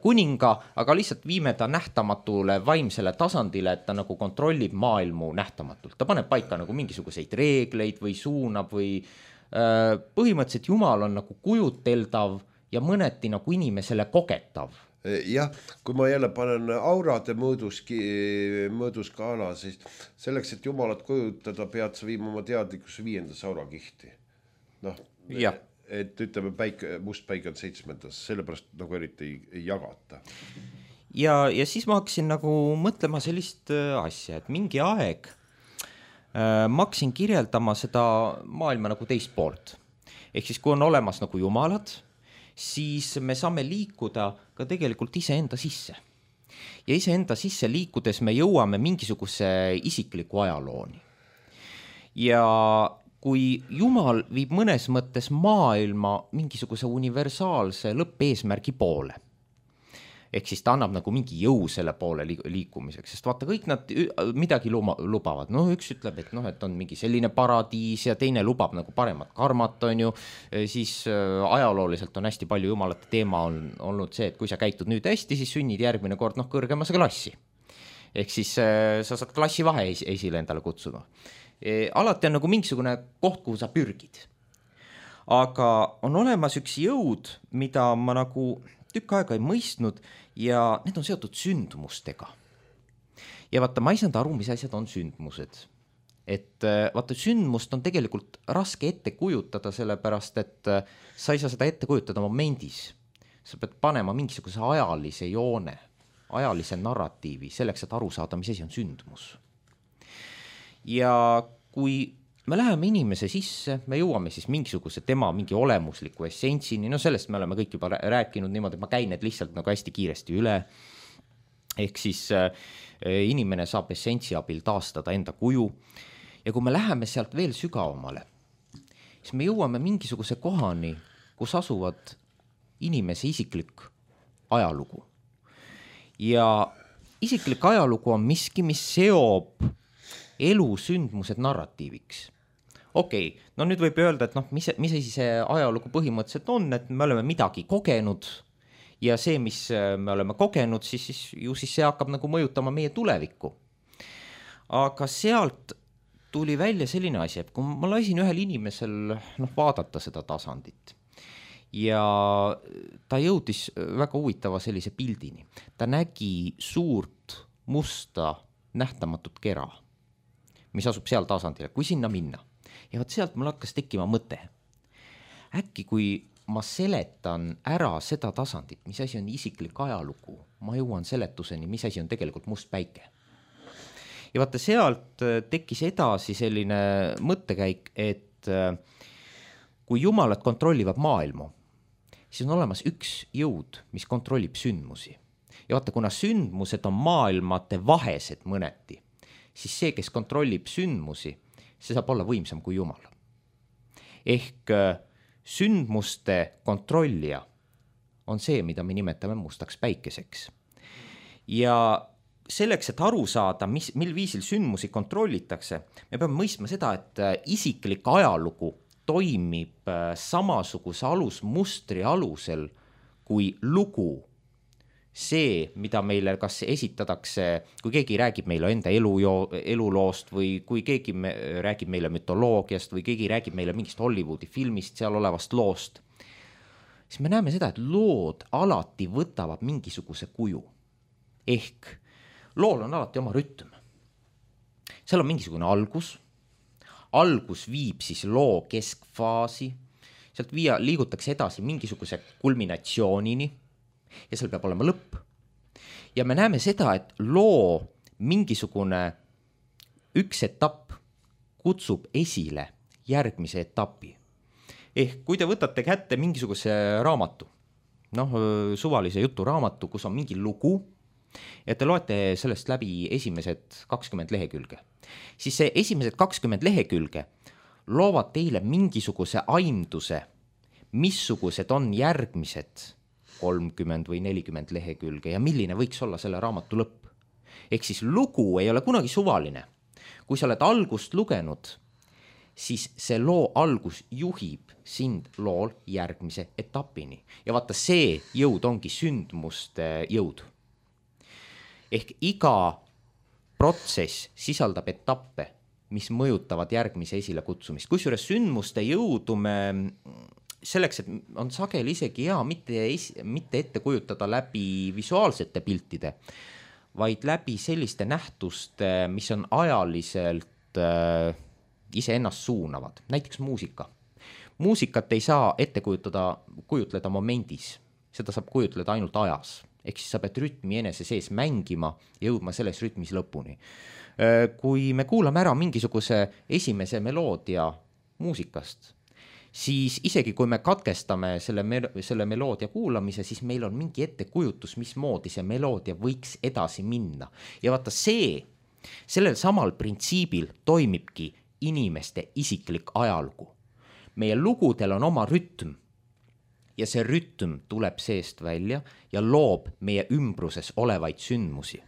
kuninga, aga lihtsalt viime ta nähtamatule vaimsele tasandile, et ta nagu kontrollib maailmu nähtamatult. Ta paneb paika nagu mingisuguseid reegleid või suunab või põhimõtteliselt Jumal on nagu kujuteldav ja mõneti nagu inimesele kogetav. Jah, kui ma jälle panen aurade mõõduskaala, siis selleks, et Jumalat kujutada, pead sa viima oma teadlikkus 5. aurakihti. Et ütleme, must päike on 7. sellepärast nagu eriti ei jagata. Ja siis ma hakkasin nagu mõtlema sellist asja, et mingi aeg ma hakkasin kirjeldama seda maailma nagu teist poolt. Ehk siis, kui on olemas nagu jumalad, siis me saame liikuda ka tegelikult iseenda sisse. Ja iseenda sisse liikudes me jõuame mingisuguse isikliku ajalooni. Ja kui Jumal viib mõnes mõttes maailma mingisuguse universaalse lõppeesmärgi poole, ehk siis ta annab nagu mingi jõu selle poole liikumiseks, sest vaata, kõik nad midagi lubavad. Üks ütleb, et on mingi selline paradiis ja teine lubab nagu paremat karmat, on ju. Siis ajalooliselt on hästi palju jumalate teema olnud see, et kui sa käitud nüüd hästi, siis sünnid järgmine kord kõrgemasse klassi. Ehk siis sa saad klassivahe esile endale kutsuda. Alati on nagu mingisugune koht, kuhu sa pürgid. Aga on olemas üks jõud, mida ma nagu tükk aega ei mõistnud ja need on seotud sündmustega. Ja vaata, ma ei saanud aru, mis asjad on sündmused. Et vaata, sündmust on tegelikult raske ette kujutada, sellepärast, et sa ei saa seda ette kujutada momendis. Sa pead panema mingisuguse ajalise joone, ajalise narratiivi, selleks, et aru saada, mis asi on sündmus. Ja kui me läheme inimese sisse, me jõuame siis mingisuguse tema mingi olemusliku essentsini, sellest me oleme kõik juba rääkinud niimoodi, et ma käin need lihtsalt nagu hästi kiiresti üle. Ehk siis inimene saab essentsi abil taastada enda kuju. Ja kui me läheme sealt veel sügavamale, siis me jõuame mingisuguse kohani, kus asuvad inimese isiklik ajalugu. Ja isiklik ajalugu on miski, mis seob elu sündmused narratiiviks. Okei, nüüd võib öelda, et mis asi see ajalugu põhimõtteliselt on, et me oleme midagi kogenud ja see, mis me oleme kogenud, siis see hakkab nagu mõjutama meie tulevikku. Aga sealt tuli välja selline asi, et kui ma lasin ühel inimesel vaadata seda tasandit ja ta jõudis väga huvitava sellise pildini. Ta nägi suurt musta nähtamatut kera, mis asub seal tasandil, kui sinna minna. Ja sealt mul hakkas tekkima mõte. Äkki kui ma seletan ära seda tasandit, mis asi on isiklik ajalugu, ma jõuan seletuseni, mis asi on tegelikult must päike. Ja vaata, sealt tekkis edasi selline mõttekäik, et kui jumalad kontrollivad maailmu, siis on olemas üks jõud, mis kontrollib sündmusi. Ja vaata, kuna sündmused on maailmate vahesed mõneti, siis see, kes kontrollib sündmusi, see saab olla võimsam kui Jumal. Ehk sündmuste kontrollija on see, mida me nimetame mustaks päikeseks. Ja selleks, et aru saada, mil viisil sündmusi kontrollitakse, me peame mõistma seda, et isiklik ajalugu toimib samasuguse alusmustri alusel kui lugu see, mida meile kas esitatakse, kui keegi räägib meile enda eluloost või kui keegi räägib meile mütoloogiast või keegi räägib meile mingist Hollywoodi filmist, seal olevast loost, siis me näeme seda, et lood alati võtavad mingisuguse kuju. Ehk lool on alati oma rütm. Seal on mingisugune algus viib siis loo keskfaasi, sealt liigutakse edasi mingisuguse kulminatsioonini ja seal peab olema lõpp. Ja me näeme seda, et loo mingisugune üks etapp kutsub esile järgmise etapi. Ehk kui te võtate kätte mingisuguse raamatu, suvalise juturaamatu, kus on mingi lugu, ja te loete sellest läbi esimesed 20 lehekülge, siis see esimesed 20 lehekülge loovad teile mingisuguse aimduse, missugused on järgmised 30 või 40 lehekülge ja milline võiks olla selle raamatu lõpp. Ehk siis lugu ei ole kunagi suvaline. Kui sa oled algust lugenud, siis see loo algus juhib sind lool järgmise etapini. Ja vaata, see jõud ongi sündmuste jõud. Ehk iga protsess sisaldab etappe, mis mõjutavad järgmise esile kutsumist. Kusjuures sündmuste jõudu me selleks, et on sageli isegi hea mitte ette kujutada läbi visuaalsete piltide, vaid läbi selliste nähtuste, mis on ajaliselt iseennast suunavad. Näiteks muusika. Muusikat ei saa ette kujutleda momendis, seda saab kujutleda ainult ajas. Ehk siis sa pead rütmi enese sees mängima ja jõudma selles rütmis lõpuni. Kui me kuulame ära mingisuguse esimese meloodia muusikast, siis isegi kui me katkestame selle meloodia kuulamise, siis meil on mingi ettekujutus, mismoodi see meloodia võiks edasi minna. Ja vaata, sellel samal printsiibil toimibki inimeste isiklik ajalugu. Meie lugudel on oma rütm ja see rütm tuleb seest välja ja loob meie ümbruses olevaid sündmusi.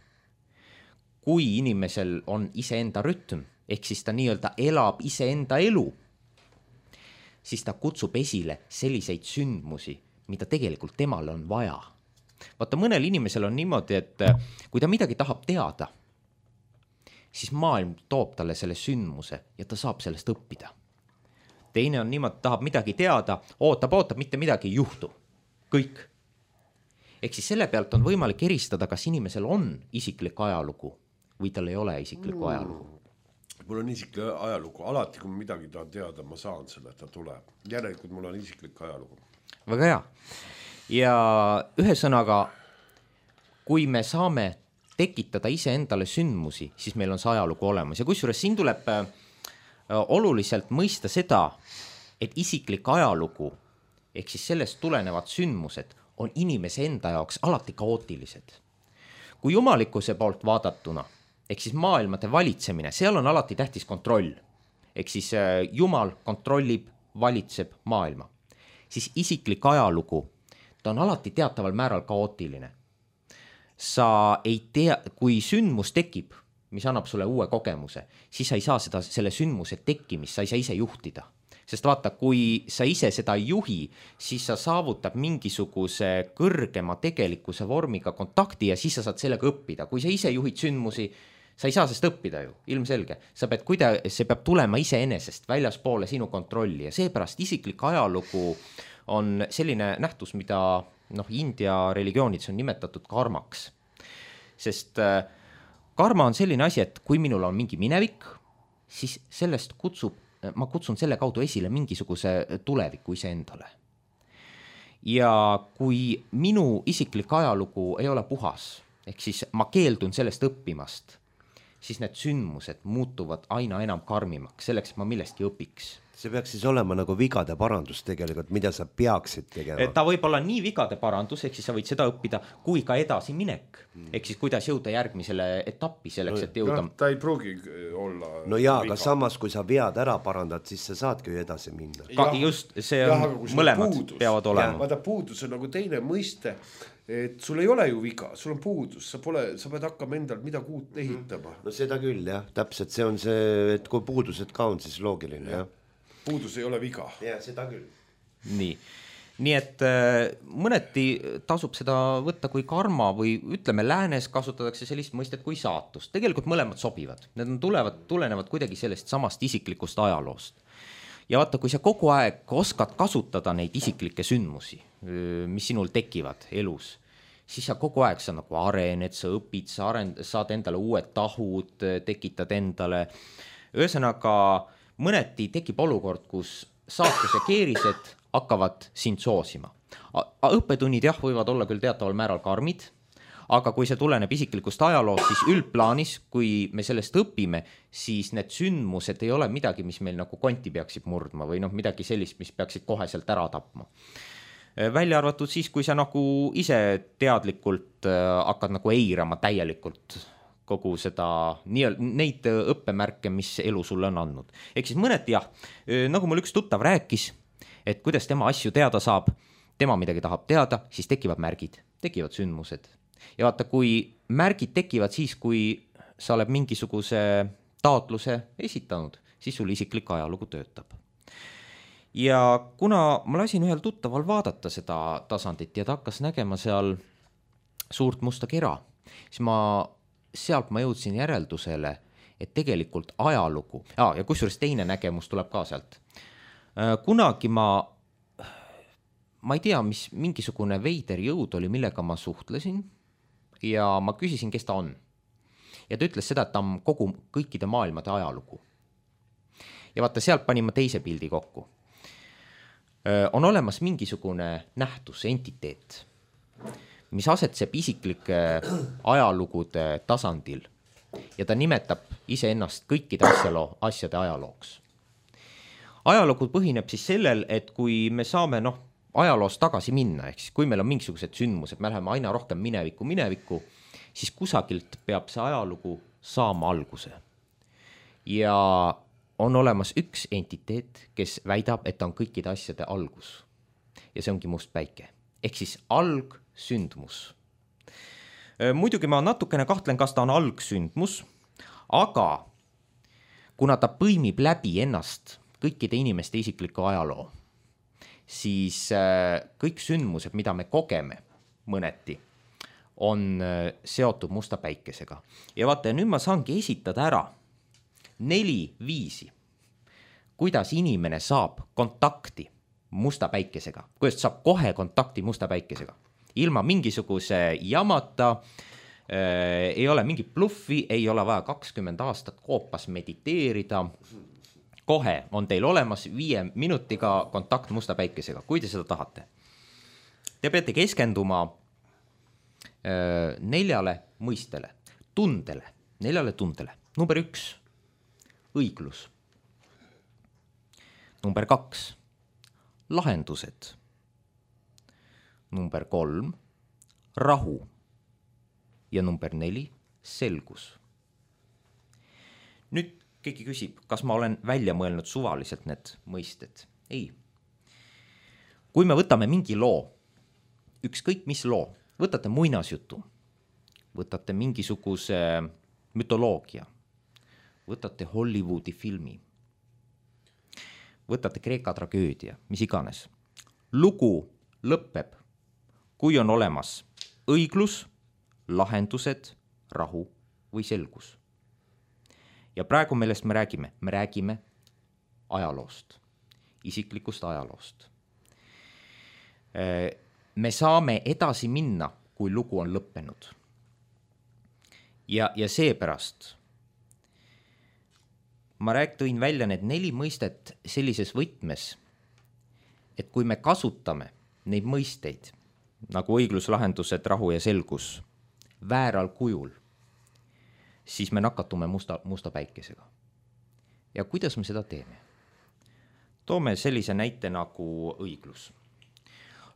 Kui inimesel on iseenda rütm, ehk siis ta nii-öelda elab iseenda elu, siis ta kutsub esile selliseid sündmusi, mida tegelikult temale on vaja. Vaata, mõnel inimesel on niimoodi, et kui ta midagi tahab teada, siis maailm toob talle selle sündmuse ja ta saab sellest õppida. Teine on niimoodi, tahab midagi teada, ootab, mitte midagi ei juhtu. Kõik. Ehk siis selle pealt on võimalik eristada, kas inimesel on isiklik ajalugu või tal ei ole isiklikku ajalugu. Mul on isiklik ajalugu. Alati, kui ma midagi tahan teada, ma saan selle, et ta tuleb. Järelikult mul on isiklik ajalugu. Väga hea. Ja ühesõnaga, kui me saame tekitada iseendale sündmusi, siis meil on see ajalugu olemas. Ja kusjuures siin tuleb oluliselt mõista seda, et isiklik ajalugu, ehk siis sellest tulenevad sündmused, on inimese enda jaoks alati kaootilised. Kui jumalikkuse poolt vaadatuna, ehk siis maailmade valitsemine, seal on alati tähtis kontroll. Ehk siis Jumal kontrollib, valitseb maailma. Siis isiklik ajalugu, ta on alati teataval määral kaootiline. Sa ei tea, kui sündmus tekib, mis annab sulle uue kogemuse, siis sa ei saa selle sündmuse tekkimist, sa ei saa ise juhtida. Sest vaata, kui sa ise seda ei juhi, siis sa saavutab mingisuguse kõrgema tegelikkuse vormiga kontakti ja siis sa saad sellega õppida. Kui sa ise juhid sündmusi, sa ei saa sest õppida ju, ilmselge. See peab tulema iseenesest väljaspoole sinu kontrolli ja seepärast isiklik ajalugu on selline nähtus, mida India religioonides on nimetatud karmaks. Sest karma on selline asi, et kui minul on mingi minevik, siis ma kutsun selle kaudu esile mingisuguse tuleviku iseendale. Ja kui minu isiklik ajalugu ei ole puhas, ehk siis ma keeldun sellest õppimast, siis need sündmused muutuvad aina enam karmimaks, selleks, et ma millestki õpiks. See peaks siis olema nagu vigade parandus tegelikult, mida sa peaksid tegema. Ta võib olla nii vigade parandus, ehk siis sa võid seda õppida, kui ka edasi minek. Ehk siis kuidas jõuda järgmisele etappi selleks, et jõuda. Ta ei pruugi olla. No jaa, aga samas, kui sa vead ära parandad, siis sa saadki ju edasi minna. Just, see on mõlemad peavad olema. Vaata, puudus on nagu teine mõiste, et sul ei ole ju viga, sul on puudus, sa pead hakkama endal midagi uut ehitama. No seda küll, jah, täpselt see on see, et kui puudused ka on, siis loogiline, jah. Puudus ei ole viga. Ja, seda küll. Nii. nii et mõneti tasub seda võtta kui karma või ütleme, läänes kasutatakse sellist mõistet kui saatust. Tegelikult mõlemad sobivad, need tulenevad kuidagi sellest samast isiklikust ajaloost. Ja vaata, kui sa kogu aeg oskad kasutada neid isiklikke sündmusi, mis sinul tekivad elus, siis sa kogu aeg sa nagu arened, sa õpid, saad endale uued tahud, tekitad endale. Ühesõnaga, mõneti tekib olukord, kus saatus ja keerised hakkavad sind soosima. Õppetunnid jah, võivad olla küll teataval määral karmid, aga kui see tuleneb isiklikust ajaloost, siis üldplaanis, kui me sellest õpime, siis need sündmused ei ole midagi, mis meil nagu konti peaksid murdma või midagi sellist, mis peaksid koheselt ära tapma. Välja arvatud siis, kui sa nagu ise teadlikult hakkad nagu eirama täielikult kogu seda, neid õppemärke, mis elu sulle on andnud. Ehk siis mõneti jah, nagu mul üks tuttav rääkis, et kuidas tema asju teada saab, tema midagi tahab teada, siis tekivad märgid, tekivad sündmused. Ja vaata, kui märgid tekivad siis, kui sa oled mingisuguse taotluse esitanud, siis sul isiklik ajalugu töötab. Ja kuna ma lasin ühel tuttaval vaadata seda tasandit ja ta hakkas nägema seal suurt musta kera, siis sealt ma jõudsin järeldusele, et tegelikult ajalugu, ja kusjuures teine nägemus tuleb ka sealt. Kunagi ma ei tea, mis mingisugune veider jõud oli, millega ma suhtlesin ja ma küsisin, kes ta on. Ja ta ütles seda, et ta on kõikide maailmade ajalugu. Ja vaata, sealt panin ma teise pildi kokku. On olemas mingisugune nähtus, entiteet, mis asetseb isiklike ajalugude tasandil ja ta nimetab iseennast kõikide asjade ajalooks. Ajalugu põhineb siis sellel, et kui me saame ajaloost tagasi minna, ehk siis kui meil on mingisugused sündmused, me läheme aina rohkem minevikku, siis kusagilt peab see ajalugu saama alguse. Ja on olemas üks entiteet, kes väidab, et ta on kõikide asjade algus. Ja see ongi must päike. Ehk siis algsündmus. Muidugi ma natukene kahtlen, kas ta on algsündmus, aga kuna ta põimib läbi ennast kõikide inimeste isikliku ajaloo, siis kõik sündmused, mida me kogeme mõneti, on seotud musta päikesega. Ja vaata, nüüd ma saangi esitada ära 4 viisi, kuidas inimene saab kontakti musta päikesega, kuidas saab kohe kontakti musta päikesega. Ilma mingisuguse jamata, ei ole mingi bluffi, ei ole vaja 20 aastat koopas mediteerida. Kohe on teil olemas 5 minutiga kontakt musta päikesega, kui te seda tahate. Te peate keskenduma 4 mõistele, 4 tundele. Number 1, õiglus. Number 2, lahendused. Number 3, rahu. Ja number 4, selgus. Nüüd keegi küsib, kas ma olen välja mõelnud suvaliselt need mõisted? Ei. Kui me võtame mingi loo, ükskõik mis loo, võtate muinasjutu, võtate mingisuguse mütoloogia, võtate Hollywoodi filmi, võtate Kreeka tragöödia, mis iganes. Lugu lõpeb, kui on olemas õiglus, lahendused, rahu või selgus. Ja praegu millest me räägime? Me räägime ajaloost, isiklikust ajaloost. Me saame edasi minna, kui lugu on lõppenud. Ja seepärast ma tõin välja need 4 mõistet sellises võtmes, et kui me kasutame neid mõisteid, nagu õiglus, lahendused, rahu ja selgus, vääral kujul, siis me nakatume musta päikesega. Ja kuidas me seda teeme? Toome sellise näite nagu õiglus.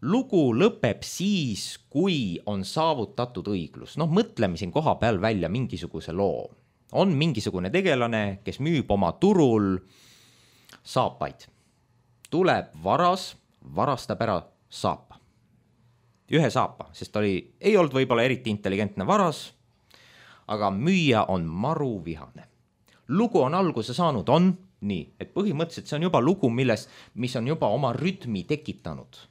Lugu lõpeb siis, kui on saavutatud õiglus. Mõtleme siin koha peal välja mingisuguse loo. On mingisugune tegelane, kes müüb oma turul saapaid. Tuleb varastab ära saapa. Ühe saapa, sest ei olnud võib-olla eriti intelligentne varas, aga müüja on maru vihane. Lugu on alguse saanud, on nii, et põhimõtteliselt see on juba lugu, mis on juba oma rütmi tekitanud.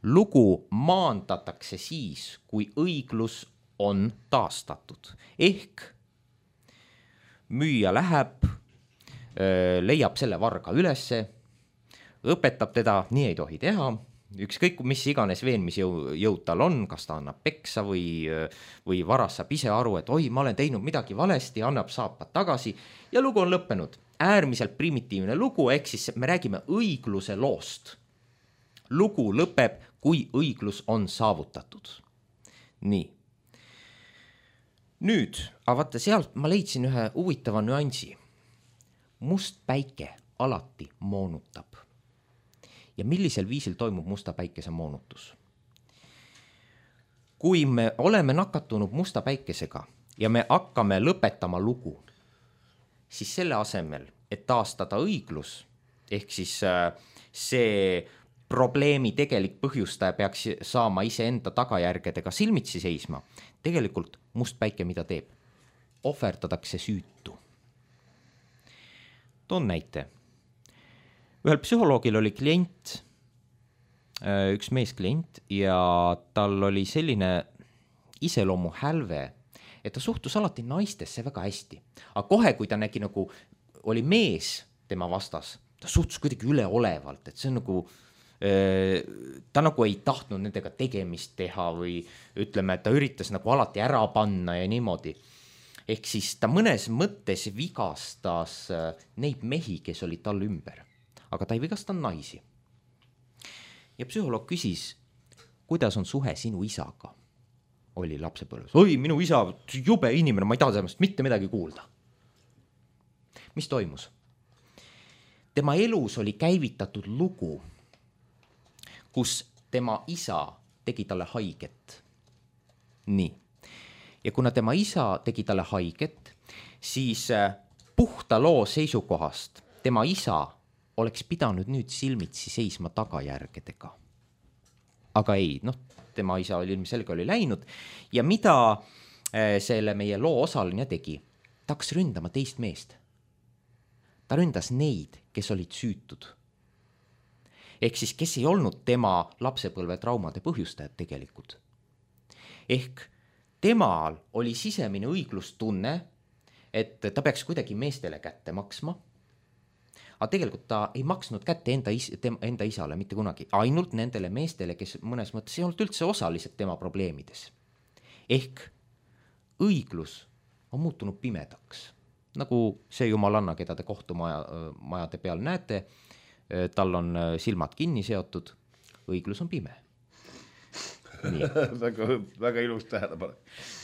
lugu maandatakse siis, kui õiglus on taastatud. Ehk müüja läheb, leiab selle varga ülesse, õpetab teda, nii ei tohi teha, ükskõik mis iganes veenmisjõud tal on, kas ta annab peksa või varas saab ise aru, et oi, ma olen teinud midagi valesti, annab saapad tagasi ja lugu on lõppenud. Äärmiselt primitiivne lugu, ehk siis me räägime õigluse loost. Lugu lõpeb, kui õiglus on saavutatud. Nii. Nüüd, aga vaata sealt ma leidsin ühe huvitava nüansi. Must päike alati moonutab. Ja millisel viisil toimub musta päikese moonutus? Kui me oleme nakatunud musta päikesega ja me hakkame lõpetama lugu, siis selle asemel, et taastada õiglus, ehk siis see probleemi tegelik põhjustaja peaks saama iseenda tagajärgedega silmitsi seisma, tegelikult must päike mida teeb? Ohverdatakse süütu. Toon näite. Ühel psühholoogil oli klient, üks meesklient ja tal oli selline iseloomu hälve, et ta suhtus alati naistesse väga hästi. Aga kohe, kui ta nägi nagu oli mees tema vastas, ta suhtus kuidagi üleolevalt, et see on nagu, ta nagu ei tahtnud nendega tegemist teha või ütleme, et ta üritas nagu alati ära panna ja niimoodi. Ehk siis ta mõnes mõttes vigastas neid mehi, kes olid tal ümber. Aga ta ei vigastanud naisi. Ja psühholoog küsis, kuidas on suhe sinu isaga? Oli lapsepõlves. Oi, minu isa, jube inimene, ma ei taha temast mitte midagi kuulda. Mis toimus? Tema elus oli käivitatud lugu, kus tema isa tegi talle haiget. Nii. Ja kuna tema isa tegi talle haiget, siis puhta loo seisukohast tema isa oleks pidanud nüüd silmitsi seisma tagajärgedega. Aga ei, tema isa oli ilmselge oli läinud ja mida selle meie loo osaline tegi? Ta hakkas ründama teist meest. Ta ründas neid, kes olid süütud. Ehk siis, kes ei olnud tema lapsepõlve traumade põhjustajad tegelikult. Ehk temal oli sisemine õiglustunne, et ta peaks kuidagi meestele kätte maksma. Aga tegelikult ta ei maksnud kätte enda isale mitte kunagi, ainult nendele meestele, kes mõnes mõttes ei olnud üldse osalised tema probleemides. Ehk õiglus on muutunud pimedaks. Nagu see jumalanna, keda te kohtumajade peal näete, tal on silmad kinni seotud, õiglus on pime. väga ilus tähelepanu.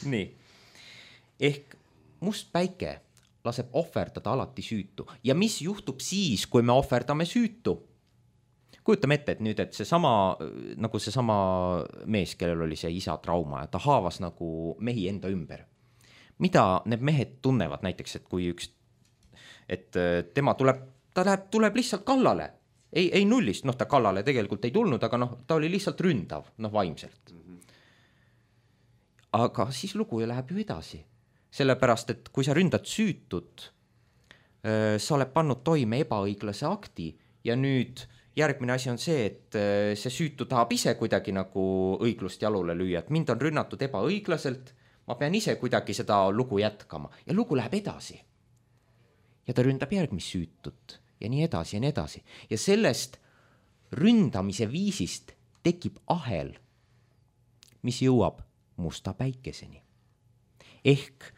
Nii. Ehk must päike laseb ohverdada alati süütu. Ja mis juhtub siis, kui me ohverdame süütu? Kujutame ette, et nüüd, et seesama mees, kellel oli see isa trauma ja ta haavas nagu mehi enda ümber. Mida need mehed tunnevad näiteks, et kui tema tuleb lihtsalt kallale. Ei nullist, ta kallale tegelikult ei tulnud, aga ta oli lihtsalt ründav, vaimselt. Aga siis lugu läheb ju edasi. Sellepärast, et kui sa ründad süütut, sa oled pannud toime ebaõiglase akti ja nüüd järgmine asi on see, et see süütu tahab ise kuidagi nagu õiglust jalule lüüa, et mind on rünnatud ebaõiglaselt, ma pean ise kuidagi seda lugu jätkama ja lugu läheb edasi. Ja ta ründab järgmist süütut ja nii edasi ja nii edasi. Ja sellest ründamise viisist tekib ahel, mis jõuab musta päikeseni. Ehk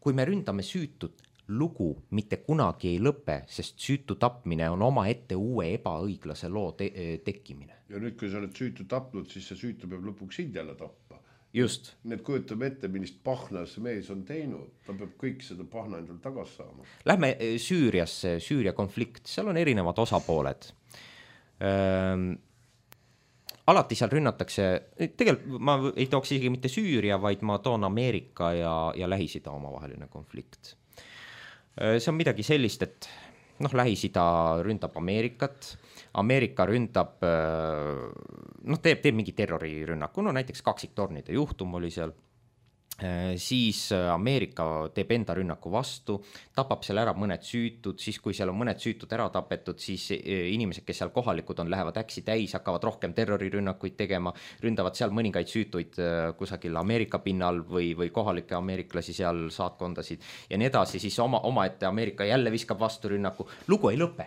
kui me ründame süütut, lugu mitte kunagi ei lõpe, sest süütu tapmine on oma ette uue ebaõiglase loo tekkimine. Ja nüüd, kui sa oled süütu tapnud, siis see süütu peab lõpuks sind jälle tappa. Just. Need kujutame ette, millist pahna see mees on teinud. Ta peab kõik seda pahna endal tagas saama. Lähme Süüriasse, Süüria konflikt, seal on erinevad osapooled. Alati seal rünnatakse, tegelikult ma ei tooks isegi mitte Süüria, vaid ma toon Ameerika ja Lähis-Ida omavaheline konflikt. See on midagi sellist, et Lähis-Ida ründab Ameerikat, Ameerika ründab, teeb mingi terrorirünnaku, näiteks kaksiktornide juhtum oli seal siis Ameerika teeb enda rünnaku vastu, tapab seal ära mõned süütud, siis kui seal on mõned süütud ära tapetud, siis inimesed, kes seal kohalikud on, lähevad äksi täis, hakkavad rohkem terrorirünnakuid tegema, ründavad seal mõningaid süütuid kusagil Ameerika pinnal või kohalikke ameeriklasi seal saatkondasid ja nii edasi, siis omaette Ameerika jälle viskab vastu rünnaku, lugu ei lõpe,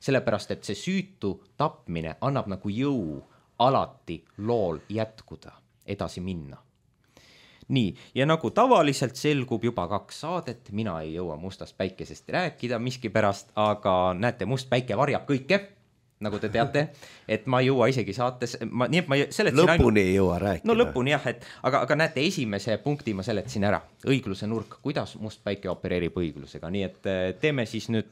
sellepärast et see süütu tapmine annab nagu jõu alati lool jätkuda, edasi minna. Nii, ja nagu tavaliselt selgub juba 2 saadet, mina ei jõua mustast päikesest rääkida miskipärast, aga näete, must päike varjab kõike, nagu te teate, et ma ei jõua isegi saates, nii et ma seletasin lõpuni ei jõua rääkida. No lõpuni jah, aga näete, esimese punkti ma seletasin ära, õigluse nurk, kuidas must päike opereerib õiglusega, nii et teeme siis nüüd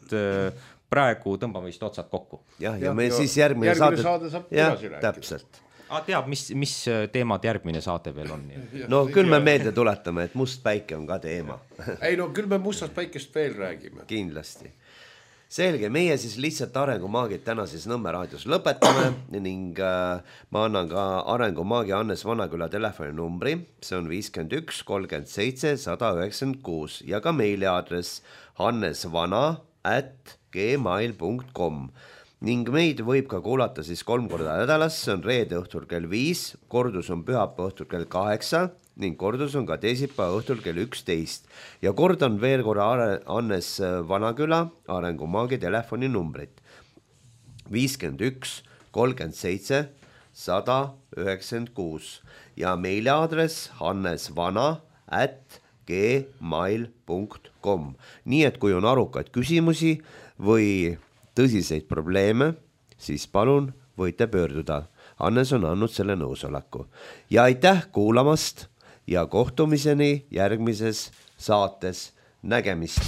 praegu, tõmbame vist otsad kokku. Ja me siis järgmine saade saab edasi rääkida. Täpselt. Teab, mis teemad järgmine saate veel on? No küll me meelde tuletame, et must päike on ka teema. Ei no küll me mustast päikest veel räägime. Kindlasti. Selge, meie siis lihtsalt arengumaagid täna siis Nõmme raadios lõpetame ning ma annan ka arengumaagi Hannes Vanaküla telefoninumbri, see on 51 37 196 ja ka meiliaadress hannesvana@gmail.com ning meid võib ka kuulata siis 3 korda nädalas, see on reede õhtul kell 5, kordus on pühapäeva õhtul kell 8 ning kordus on ka teisipäeva õhtul kell 11 ja kordan veel korra Hannes Vanaküla arengumaagi telefoninumbrit 51 37 196 ja meiliaadress hannesvana@gmail.com. Nii et kui on arukaid küsimusi või tõsiseid probleeme, siis palun võite pöörduda. Hannes on andnud selle nõusoleku. Ja aitäh kuulamast ja kohtumiseni järgmises saates. Nägemist!